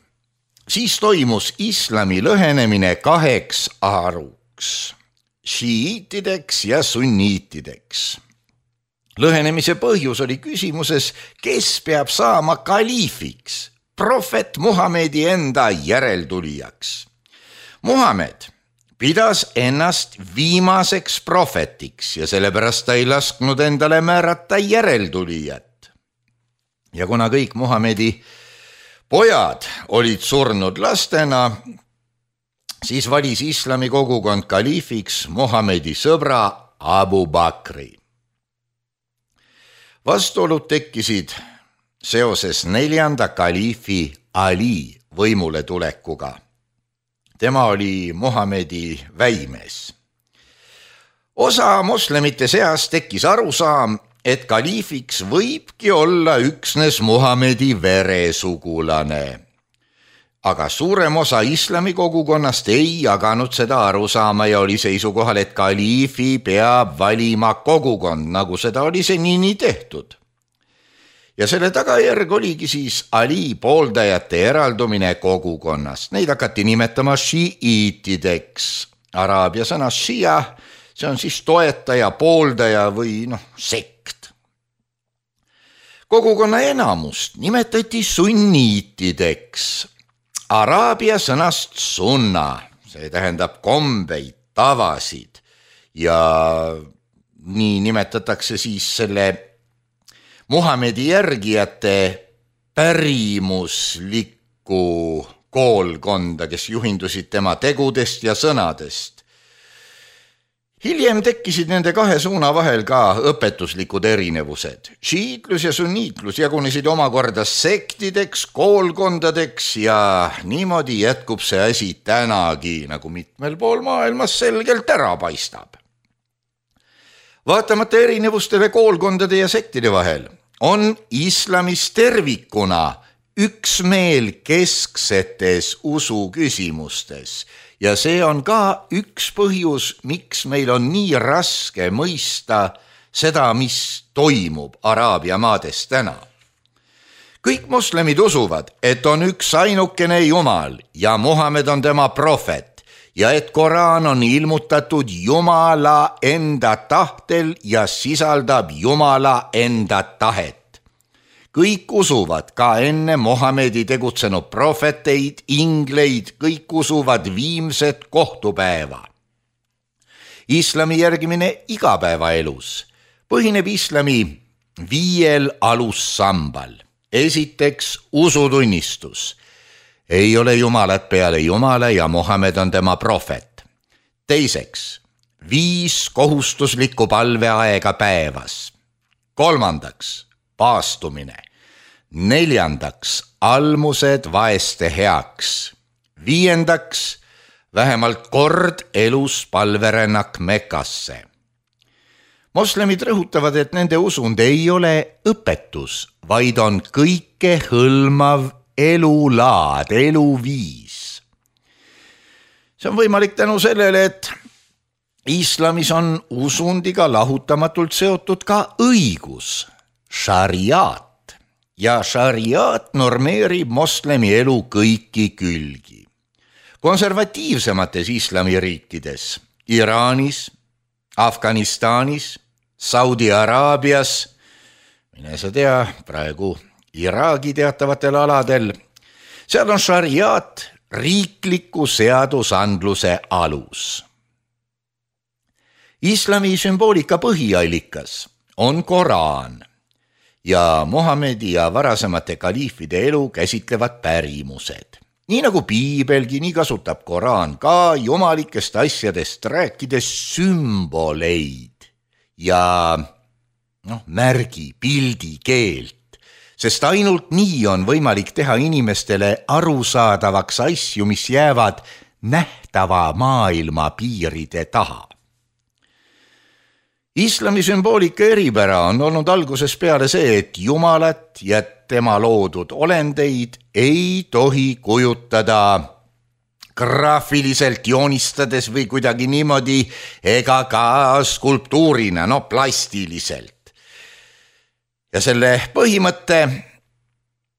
siis toimus islami lõhenemine kaheks haruks, šiiitideks ja sunniitideks. Lõhenemise põhjus oli küsimuses, kes peab saama kaliifiks, prohvet Muhamedi enda järeltulijaks. Muhamed pidas ennast viimaseks prohvetiks ja sellepärast ta ei lasknud endale määrata järeltulijat. Ja kuna kõik Muhamedi pojad olid surnud lastena, siis valis islami kogukond kaliifiks Muhamedi sõbra Abu Bakri. Vastuolud tekkisid seoses neljanda kaliifi Ali võimule tulekuga. Tema oli Muhamedi väimees. Osa moslemite seas tekkis arusaam, et kaliifiks võibki olla üksnes Muhamedi veresugulane. Aga suurem osa islami kogukonnast ei jaganud seda arusaama ja oli seisukohal, et kaliifi peab valima kogukond, nagu seda oli senini tehtud. Ja selle tagajärg oligi siis Ali pooldajate eraldumine kogukonnast. Neid hakati nimetama šiiitideks. Araabia sõna šia, see on siis toetaja, pooldaja või noh, sekt. Kogukonna enamust nimetati sunniitideks. Araabia sõnast sunna, see tähendab kombeid, tavasid ja nii nimetatakse siis selle Muhamedi järgijate pärimuslikku koolkonda, kes juhindusid tema tegudest ja sõnadest. Hiljem tekkisid nende kahe suuna vahel ka õpetuslikud erinevused. Šiitlus ja sunniitlus jagunesid omakorda sektideks, koolkondadeks ja niimoodi jätkub see asi tänagi, nagu mitmel pool maailmas selgelt ära paistab. Vaatamata erinevustele koolkondade ja sektide vahel on islamis tervikuna üksmeel kesksetes usuküsimustes. Ja see on ka üks põhjus, miks meil on nii raske mõista seda, mis toimub Araabia maades täna. Kõik moslemid usuvad, et on üks ainukene Jumal ja Muhamed on tema prohvet ja et Koraan on ilmutatud Jumala enda tahtel ja sisaldab Jumala enda tahet. Kõik usuvad ka enne Muhamedi tegutsenud prohveteid, ingleid, kõik usuvad viimset kohtupäeva. Islami järgimine igapäevaelus põhineb islami viiel alussambal. Esiteks usutunnistus. Ei ole Jumalat peale Jumala ja Muhamed on tema prohvet. Teiseks, viis kohustuslikku palveaega päevas. Kolmandaks, paastumine. Neljandaks, almused vaeste heaks. Viiendaks, vähemalt kord elus palverännak Mekkasse. Moslemid rõhutavad, et nende usund ei ole õpetus, vaid on kõike hõlmav elulaad, eluviis. See on võimalik tänu sellele, et islamis on usundiga lahutamatult seotud ka õigus, šariaat. Ja šariaat normeerib moslemi elu kõiki külgi. Konservatiivsemates islamiriikides, Iraanis, Afganistanis, Saudi Araabias, mine sa tea, praegu Iraagi teatavatel aladel, seal on šariaat riikliku seadusandluse alus. Islami sümboolika põhiallikas on Koraan ja Muhamedi ja varasemate kaliifide elu käsitlevad pärimused. Nii nagu piibelgi, nii kasutab Koraan ka jumalikest asjadest rääkides sümboleid ja noh, märgi, pildi, keelt, sest ainult nii on võimalik teha inimestele arusaadavaks asju, mis jäävad nähtava maailma piiride taha. Islami sümboolika eripära on olnud alguses peale see, et Jumalat ja tema loodud olendeid ei tohi kujutada graafiliselt joonistades või kuidagi niimoodi ega ka skulptuurina, no plastiliselt. Ja selle põhimõtte,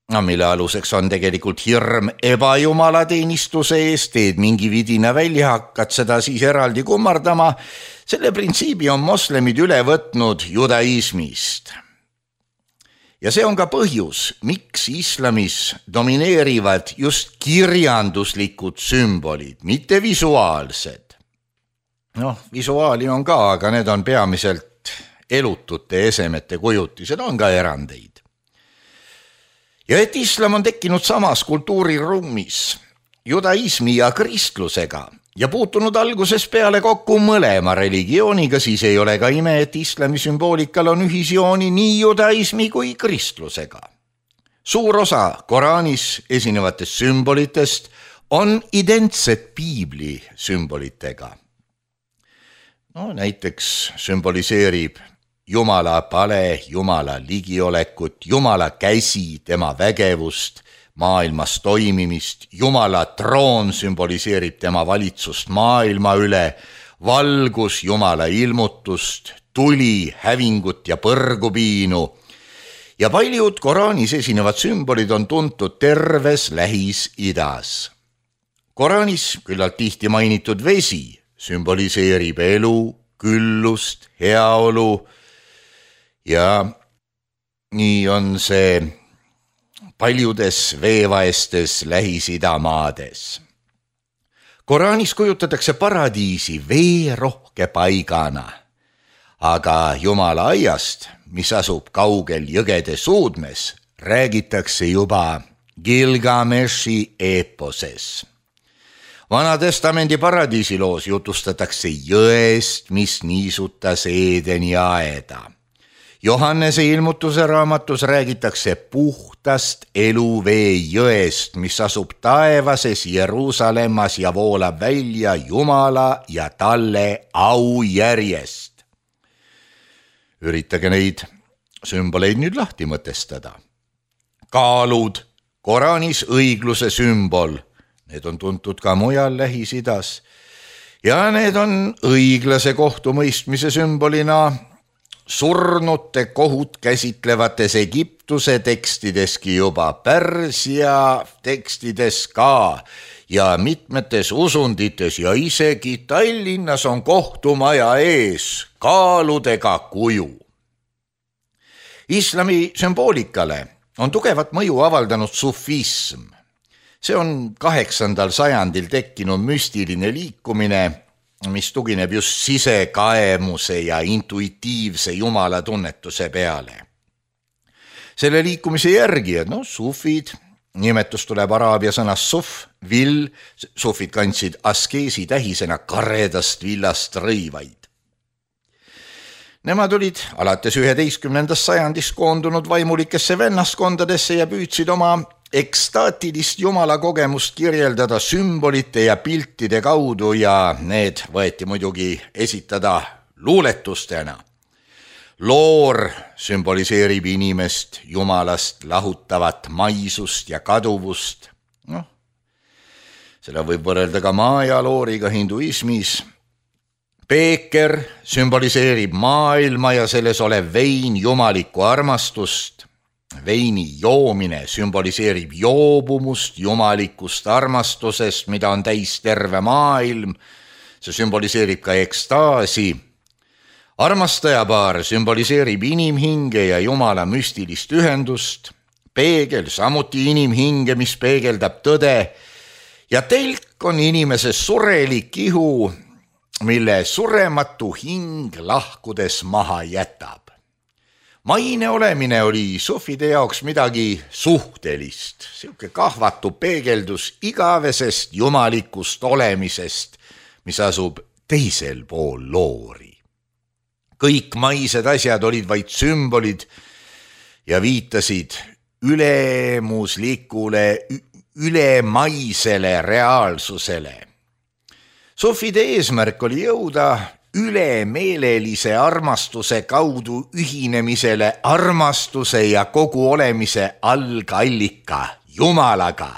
no, mille aluseks on tegelikult hirm ebajumalateenistuse eest, teed mingi vidina välja, hakkad seda siis eraldi kummardama, selle printsiibi on moslemid üle võtnud judaismist. Ja see on ka põhjus, miks islamis domineerivad just kirjanduslikud sümbolid, mitte visuaalsed. Noh, visuaali on ka, aga need on peamiselt elutute esemete kujutised, on ka erandeid. Ja et islam on tekkinud samas kultuuriruumis judaismi ja kristlusega ja puutunud alguses peale kokku mõlema religiooniga, siis ei ole ka ime, et islami sümboolikal on ühisjooni nii judaismi kui kristlusega. Suur osa Koraanis esinevatest sümbolitest on identsed piibli sümbolitega. No, näiteks sümboliseerib Jumala pale, Jumala ligiolekut, Jumala käsi, tema vägevust, maailmas toimimist, Jumala troon sümboliseerib tema valitsust maailma üle, valgus Jumala ilmutust, tuli, hävingut ja põrgupiinu. Ja paljud Koraanis esinevad sümbolid on tuntud terves Lähis-Idas. Koraanis küllalt tihti mainitud vesi sümboliseerib elu, küllust, heaolu ja nii on see paljudes veevaestes Lähis-Ida maades. Koraanis kujutatakse paradiisi veerohke paigana, aga Jumala aiast, mis asub kaugel jõgede suudmes, räägitakse juba Gilgameshi eeposes. Vanatestamendi paradiisiloos jutustatakse jõest, mis niisutas Eedeni aeda. Johannese ilmutuse raamatus räägitakse puhtast eluvee jõest, mis asub taevases Jeruusalemmas ja voolab välja Jumala ja talle au järjest. Üritage neid sümboleid nüüd lahti mõtestada. Kaalud, Koraanis õigluse sümbol, need on tuntud ka mujal Lähis-Idas ja need on õiglase kohtumõistmise sümbolina surnute kohut käsitlevates Egiptuse tekstideski juba, Pärsia tekstides ka ja mitmetes usundites ja isegi Tallinnas on kohtumaja ees kaaludega kuju. Islami sümboolikale on tugevat mõju avaldanud sufism. See on kaheksandal sajandil tekkinud müstiline liikumine, mis tugineb just sisekaemuse ja intuitiivse Jumala tunnetuse peale. Selle liikumise järgijad, no sufid, nimetus tuleb araabia sõnast suf, vill, sufid kandsid askeesi tähisena karedast villast rõivaid. Nemad olid alates üheteistkümnendast sajandist koondunud vaimulikesse vennaskondadesse ja püüdsid oma ekstaatilist Jumala kogemust kirjeldada sümbolite ja piltide kaudu ja need võeti muidugi esitada luuletustena. Loor sümboliseerib inimest Jumalast lahutavat maisust ja kaduvust. Noh, seda võib võrrelda ka maja looriga hinduismis. Peeker sümboliseerib maailma ja selles olev vein jumalikku armastust. Veini joomine sümboliseerib joobumust jumalikust armastusest, mida on täis terve maailm. See sümboliseerib ka ekstaasi. Armastajapaar sümboliseerib inimhinge ja Jumala müstilist ühendust. Peegel samuti inimhinge, mis peegeldab tõde. Ja telk on inimese surelik ihu, mille surematu hing lahkudes maha jätab. Maine olemine oli sufide jaoks midagi suhtelist, siuke kahvatu peegeldus igavesest jumalikust olemisest, mis asub teisel pool loori. Kõik maised asjad olid vaid sümbolid ja viitasid ülemuslikule, ülemaisele reaalsusele. Sufide eesmärk oli jõuda ülemeelelise armastuse kaudu ühinemisele armastuse ja kogu olemise algallika Jumalaga,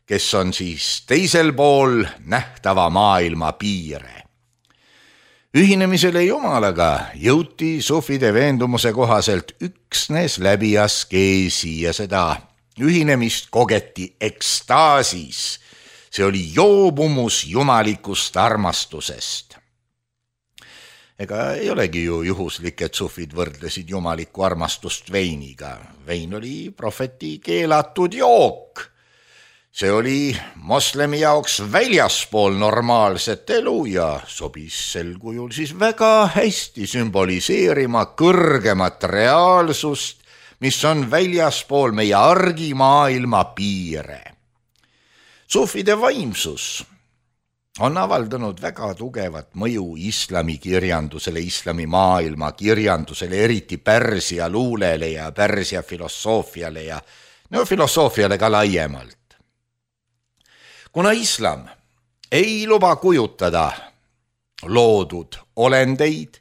kes on siis teisel pool nähtava maailma piire. Ühinemisele Jumalaga jõuti sufide veendumuse kohaselt üksnes läbi askeesi ja seda ühinemist kogeti ekstaasis. See oli joobumus jumalikust armastusest. Ega ei olegi ju juhuslik, et sufid võrdlesid jumalikku armastust veiniga. Vein oli prohveti keelatud jook. See oli moslemi jaoks väljaspool normaalset elu ja sobis sel kujul siis väga hästi sümboliseerima kõrgemat reaalsust, mis on väljaspool meie argimaailma piire. Sufide vaimsus on avaldanud väga tugevat mõju islami kirjandusele, islami maailma kirjandusele, eriti Pärsia luulele ja Pärsia filosoofiale ja no filosoofiale ka laiemalt. Kuna islam ei luba kujutada loodud olendeid,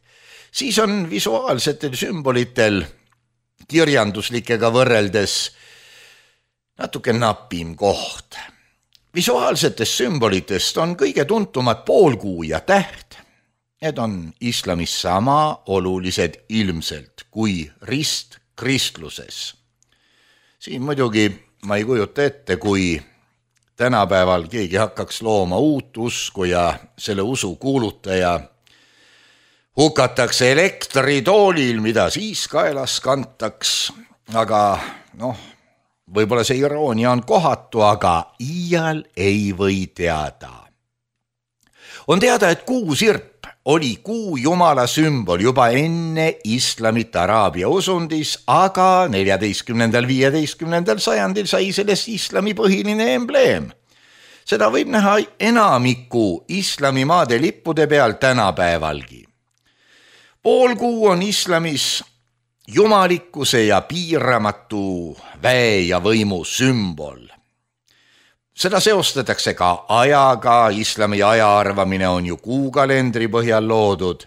siis on visuaalsetel sümbolitel kirjanduslikega võrreldes natuke napim koht. Visuaalsetest sümbolitest on kõige tuntumad poolkuu ja täht. Need on islamis sama olulised ilmselt kui rist kristluses. Siin muidugi ma ei kujuta ette, kui tänapäeval keegi hakkaks looma uut usku ja selle usu kuulutaja hukatakse elektritoolil, mida siis kaelas kantaks, aga noh, võib-olla see iroonia on kohatu, aga iial ei või teada. On teada, et kuusirp oli kuu jumala sümbol juba enne islamit Araabia usundis, aga neljateistkümnendal viieteistkümnendal sajandil sai sellest islami põhiline embleem. Seda võib näha enamiku islamimaade lippude peal tänapäevalgi. Poolkuu on islamis jumalikkuse ja piiramatu väe ja võimu sümbol. Seda seostatakse ka ajaga, islami ajaarvamine on ju kuukalendri põhjal loodud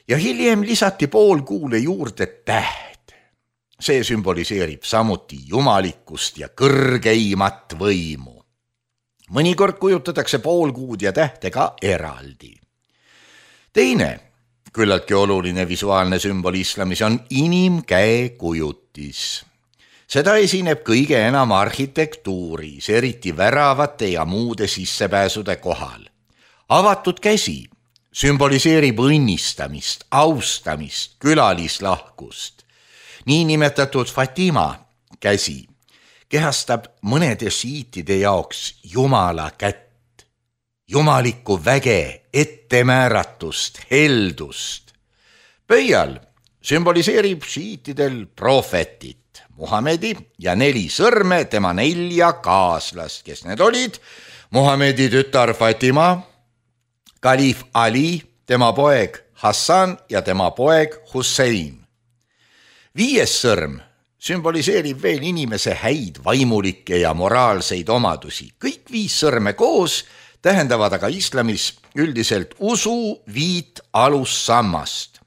ja hiljem lisati poolkuule juurde täht. See sümboliseerib samuti jumalikkust ja kõrgeimat võimu. Mõnikord kujutatakse poolkuud ja tähte ka eraldi. Teine küllaltki oluline visuaalne sümbol islamis on inimkäe kujutis. Seda esineb kõige enam arhitektuuris, eriti väravate ja muude sissepääsude kohal. Avatud käsi sümboliseerib õnnistamist, austamist, külalislahkust. Niinimetatud Fatima käsi kehastab mõnede šiitide jaoks Jumala kätt, jumalikku väge, ettemääratust, heldust. Pöial sümboliseerib šiitidel prohvetit, Muhamedi ja neli sõrme tema nelja kaaslast, kes need olid: Muhamedi tütar Fatima, kaliif Ali, tema poeg Hassan ja tema poeg Hussein. Viies sõrm sümboliseerib veel inimese häid vaimulikke ja moraalseid omadusi. Kõik viis sõrme koos tähendavad aga islamis üldiselt usu viit alussammast.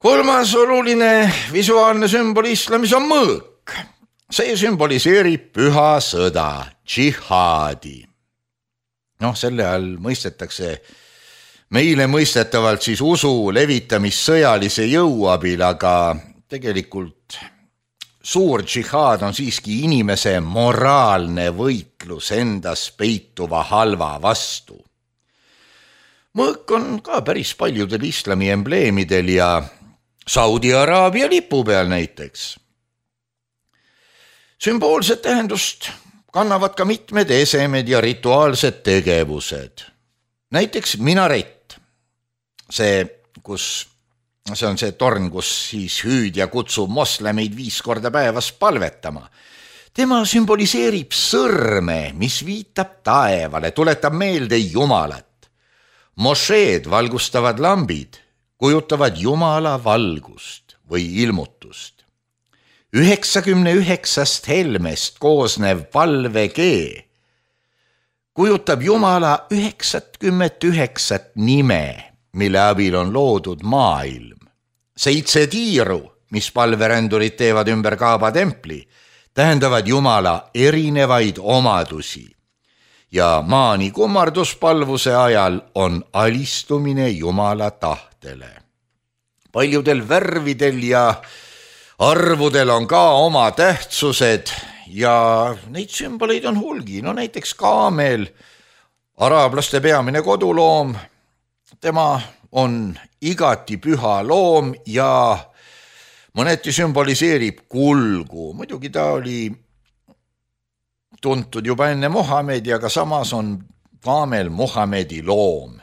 Kolmas oluline visuaalne sümbol islamis on mõõk. See sümboliseerib püha sõda, džihaadi. Noh, selle all mõistetakse meile mõistetavalt siis usu levitamist sõjalise jõu abil, aga tegelikult suur džihaad on siiski inimese moraalne võitlus endas peituva halva vastu. Mõõk on ka päris paljudel islami embleemidel ja Saudi Araabia lipu peal näiteks. Sümboolset tähendust kannavad ka mitmed esemed ja rituaalsed tegevused. Näiteks minarett. See, kus, see on see torn, kus siis hüüdja kutsub moslemeid viis korda päevas palvetama. Tema sümboliseerib sõrme, mis viitab taevale, tuletab meelde Jumalat. Mošeed, valgustavad lambid, kujutavad Jumala valgust või ilmutust. üheksakümne üheksast helmest koosnev palvekee kujutab Jumala üheksakümmend üheksat nime, mille abil on loodud maailm. Seitse tiiru, mis palverändurid teevad ümber Kaaba templi, tähendavad Jumala erinevaid omadusi. Ja maani kummarduspalvuse ajal on alistumine Jumala tahtele. Paljudel värvidel ja arvudel on ka oma tähtsused ja neid sümboleid on hulgi. No näiteks kaamel, araablaste peamine koduloom, tema on igati püha loom ja mõneti sümboliseerib kulgu. Muidugi ta oli tuntud juba enne Muhamedi, aga samas on kaamel Muhamedi loom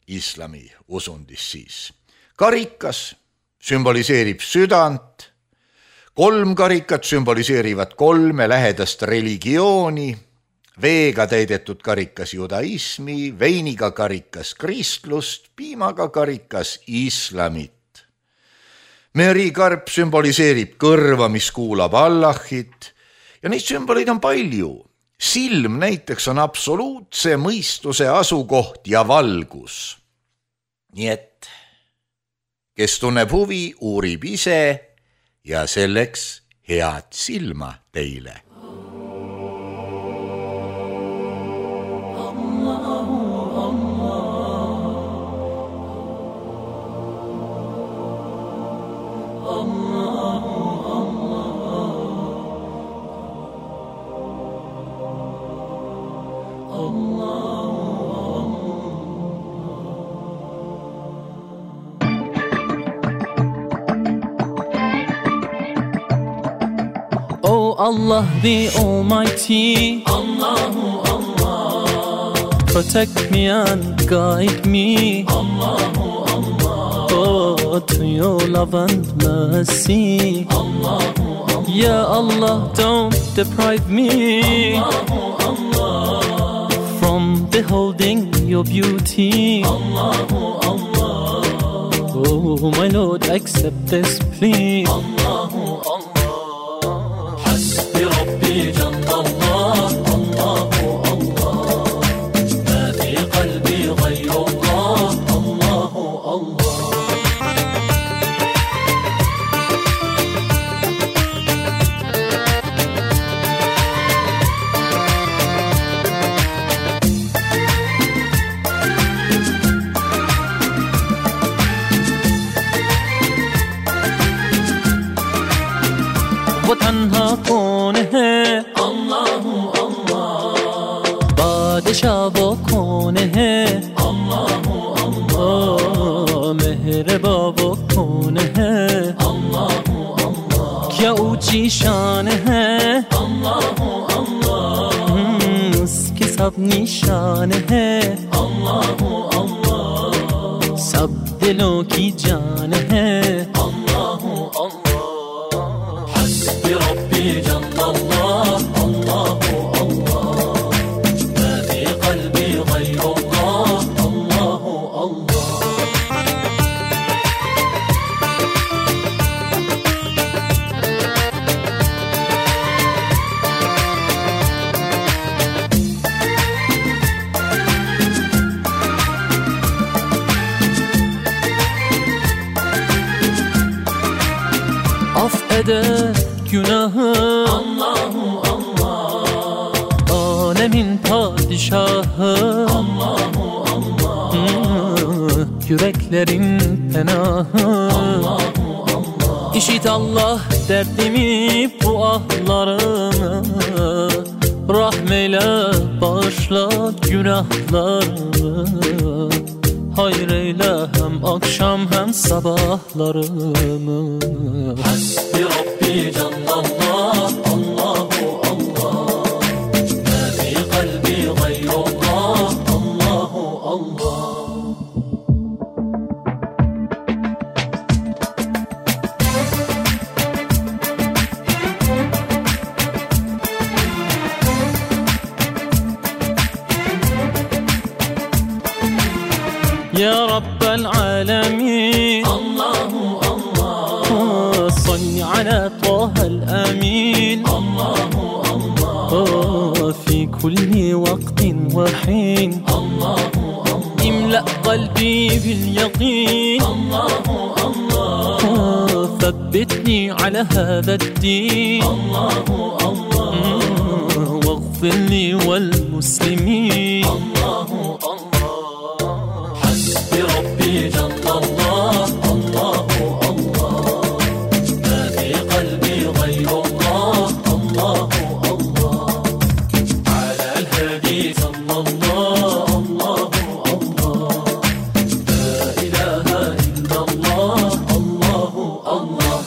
islami usundis siis. Karikas sümboliseerib südant, kolm karikat sümboliseerivad kolme lähedast religiooni, veega täidetud karikas judaismi, veiniga karikas kristlust, piimaga karikas islamit. Merikarp sümboliseerib kõrva, mis kuulab Allahit ja neid sümboleid on palju. Silm näiteks on absoluutse mõistuse asukoht ja valgus. Nii et kes tunneb huvi, uurib ise ja selleks head silma teile.
Allah the Almighty, Allahu Allah, protect me and guide me, Allahu Allah, oh, to your love and mercy, Allahu Allah, Ya Allah, don't deprive me, Allahu Allah, from beholding your beauty, Allahu Allah, oh my Lord, accept this plea, Allahu Allah. ربي جل الله الله الله ما في قلبي غير الله الله الله वो तन्हा कौन है अल्लाह अल्लाह बादशाह वो कौन है अल्लाह अल्लाह मेहरबां वो कौन है अल्लाह अल्लाह क्या ऊंची शान है अल्लाह अल्लाह उसकी सब निशान है अल्लाह अल्लाह सब दिलों की जान है अल्लाह अल्लाह ربي جل الله الله الله ما في قلبي غير الله الله الله affeder günahı Allahu Allah alemin padişahı Allahu Allah yüreklerin penahı Allahu Allah İşit Allah derdimi bu ahlarımı rahmeyle bağışla günahlarımı hayır eyle hem akşam hem sabahlarımı Hasbi Rabbi Cellallah Allahu Allah Ma fi kalbi gayrullah Allahu Allah يا رب العالمين الله الله صل على طه الأمين الله الله في كل وقت وحين الله الله املأ قلبي باليقين الله الله ثبتني على هذا الدين الله الله واغفر لي والمسلمين الله الله حسبي ربي جل الله الله الله ما في قلبي غير الله الله الله على الهادي صلى الله الله الله لا إله إلا الله الله الله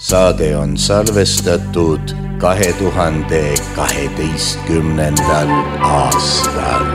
Saade on salvestatud kahe tuhande kaheteistkümnendal aastal.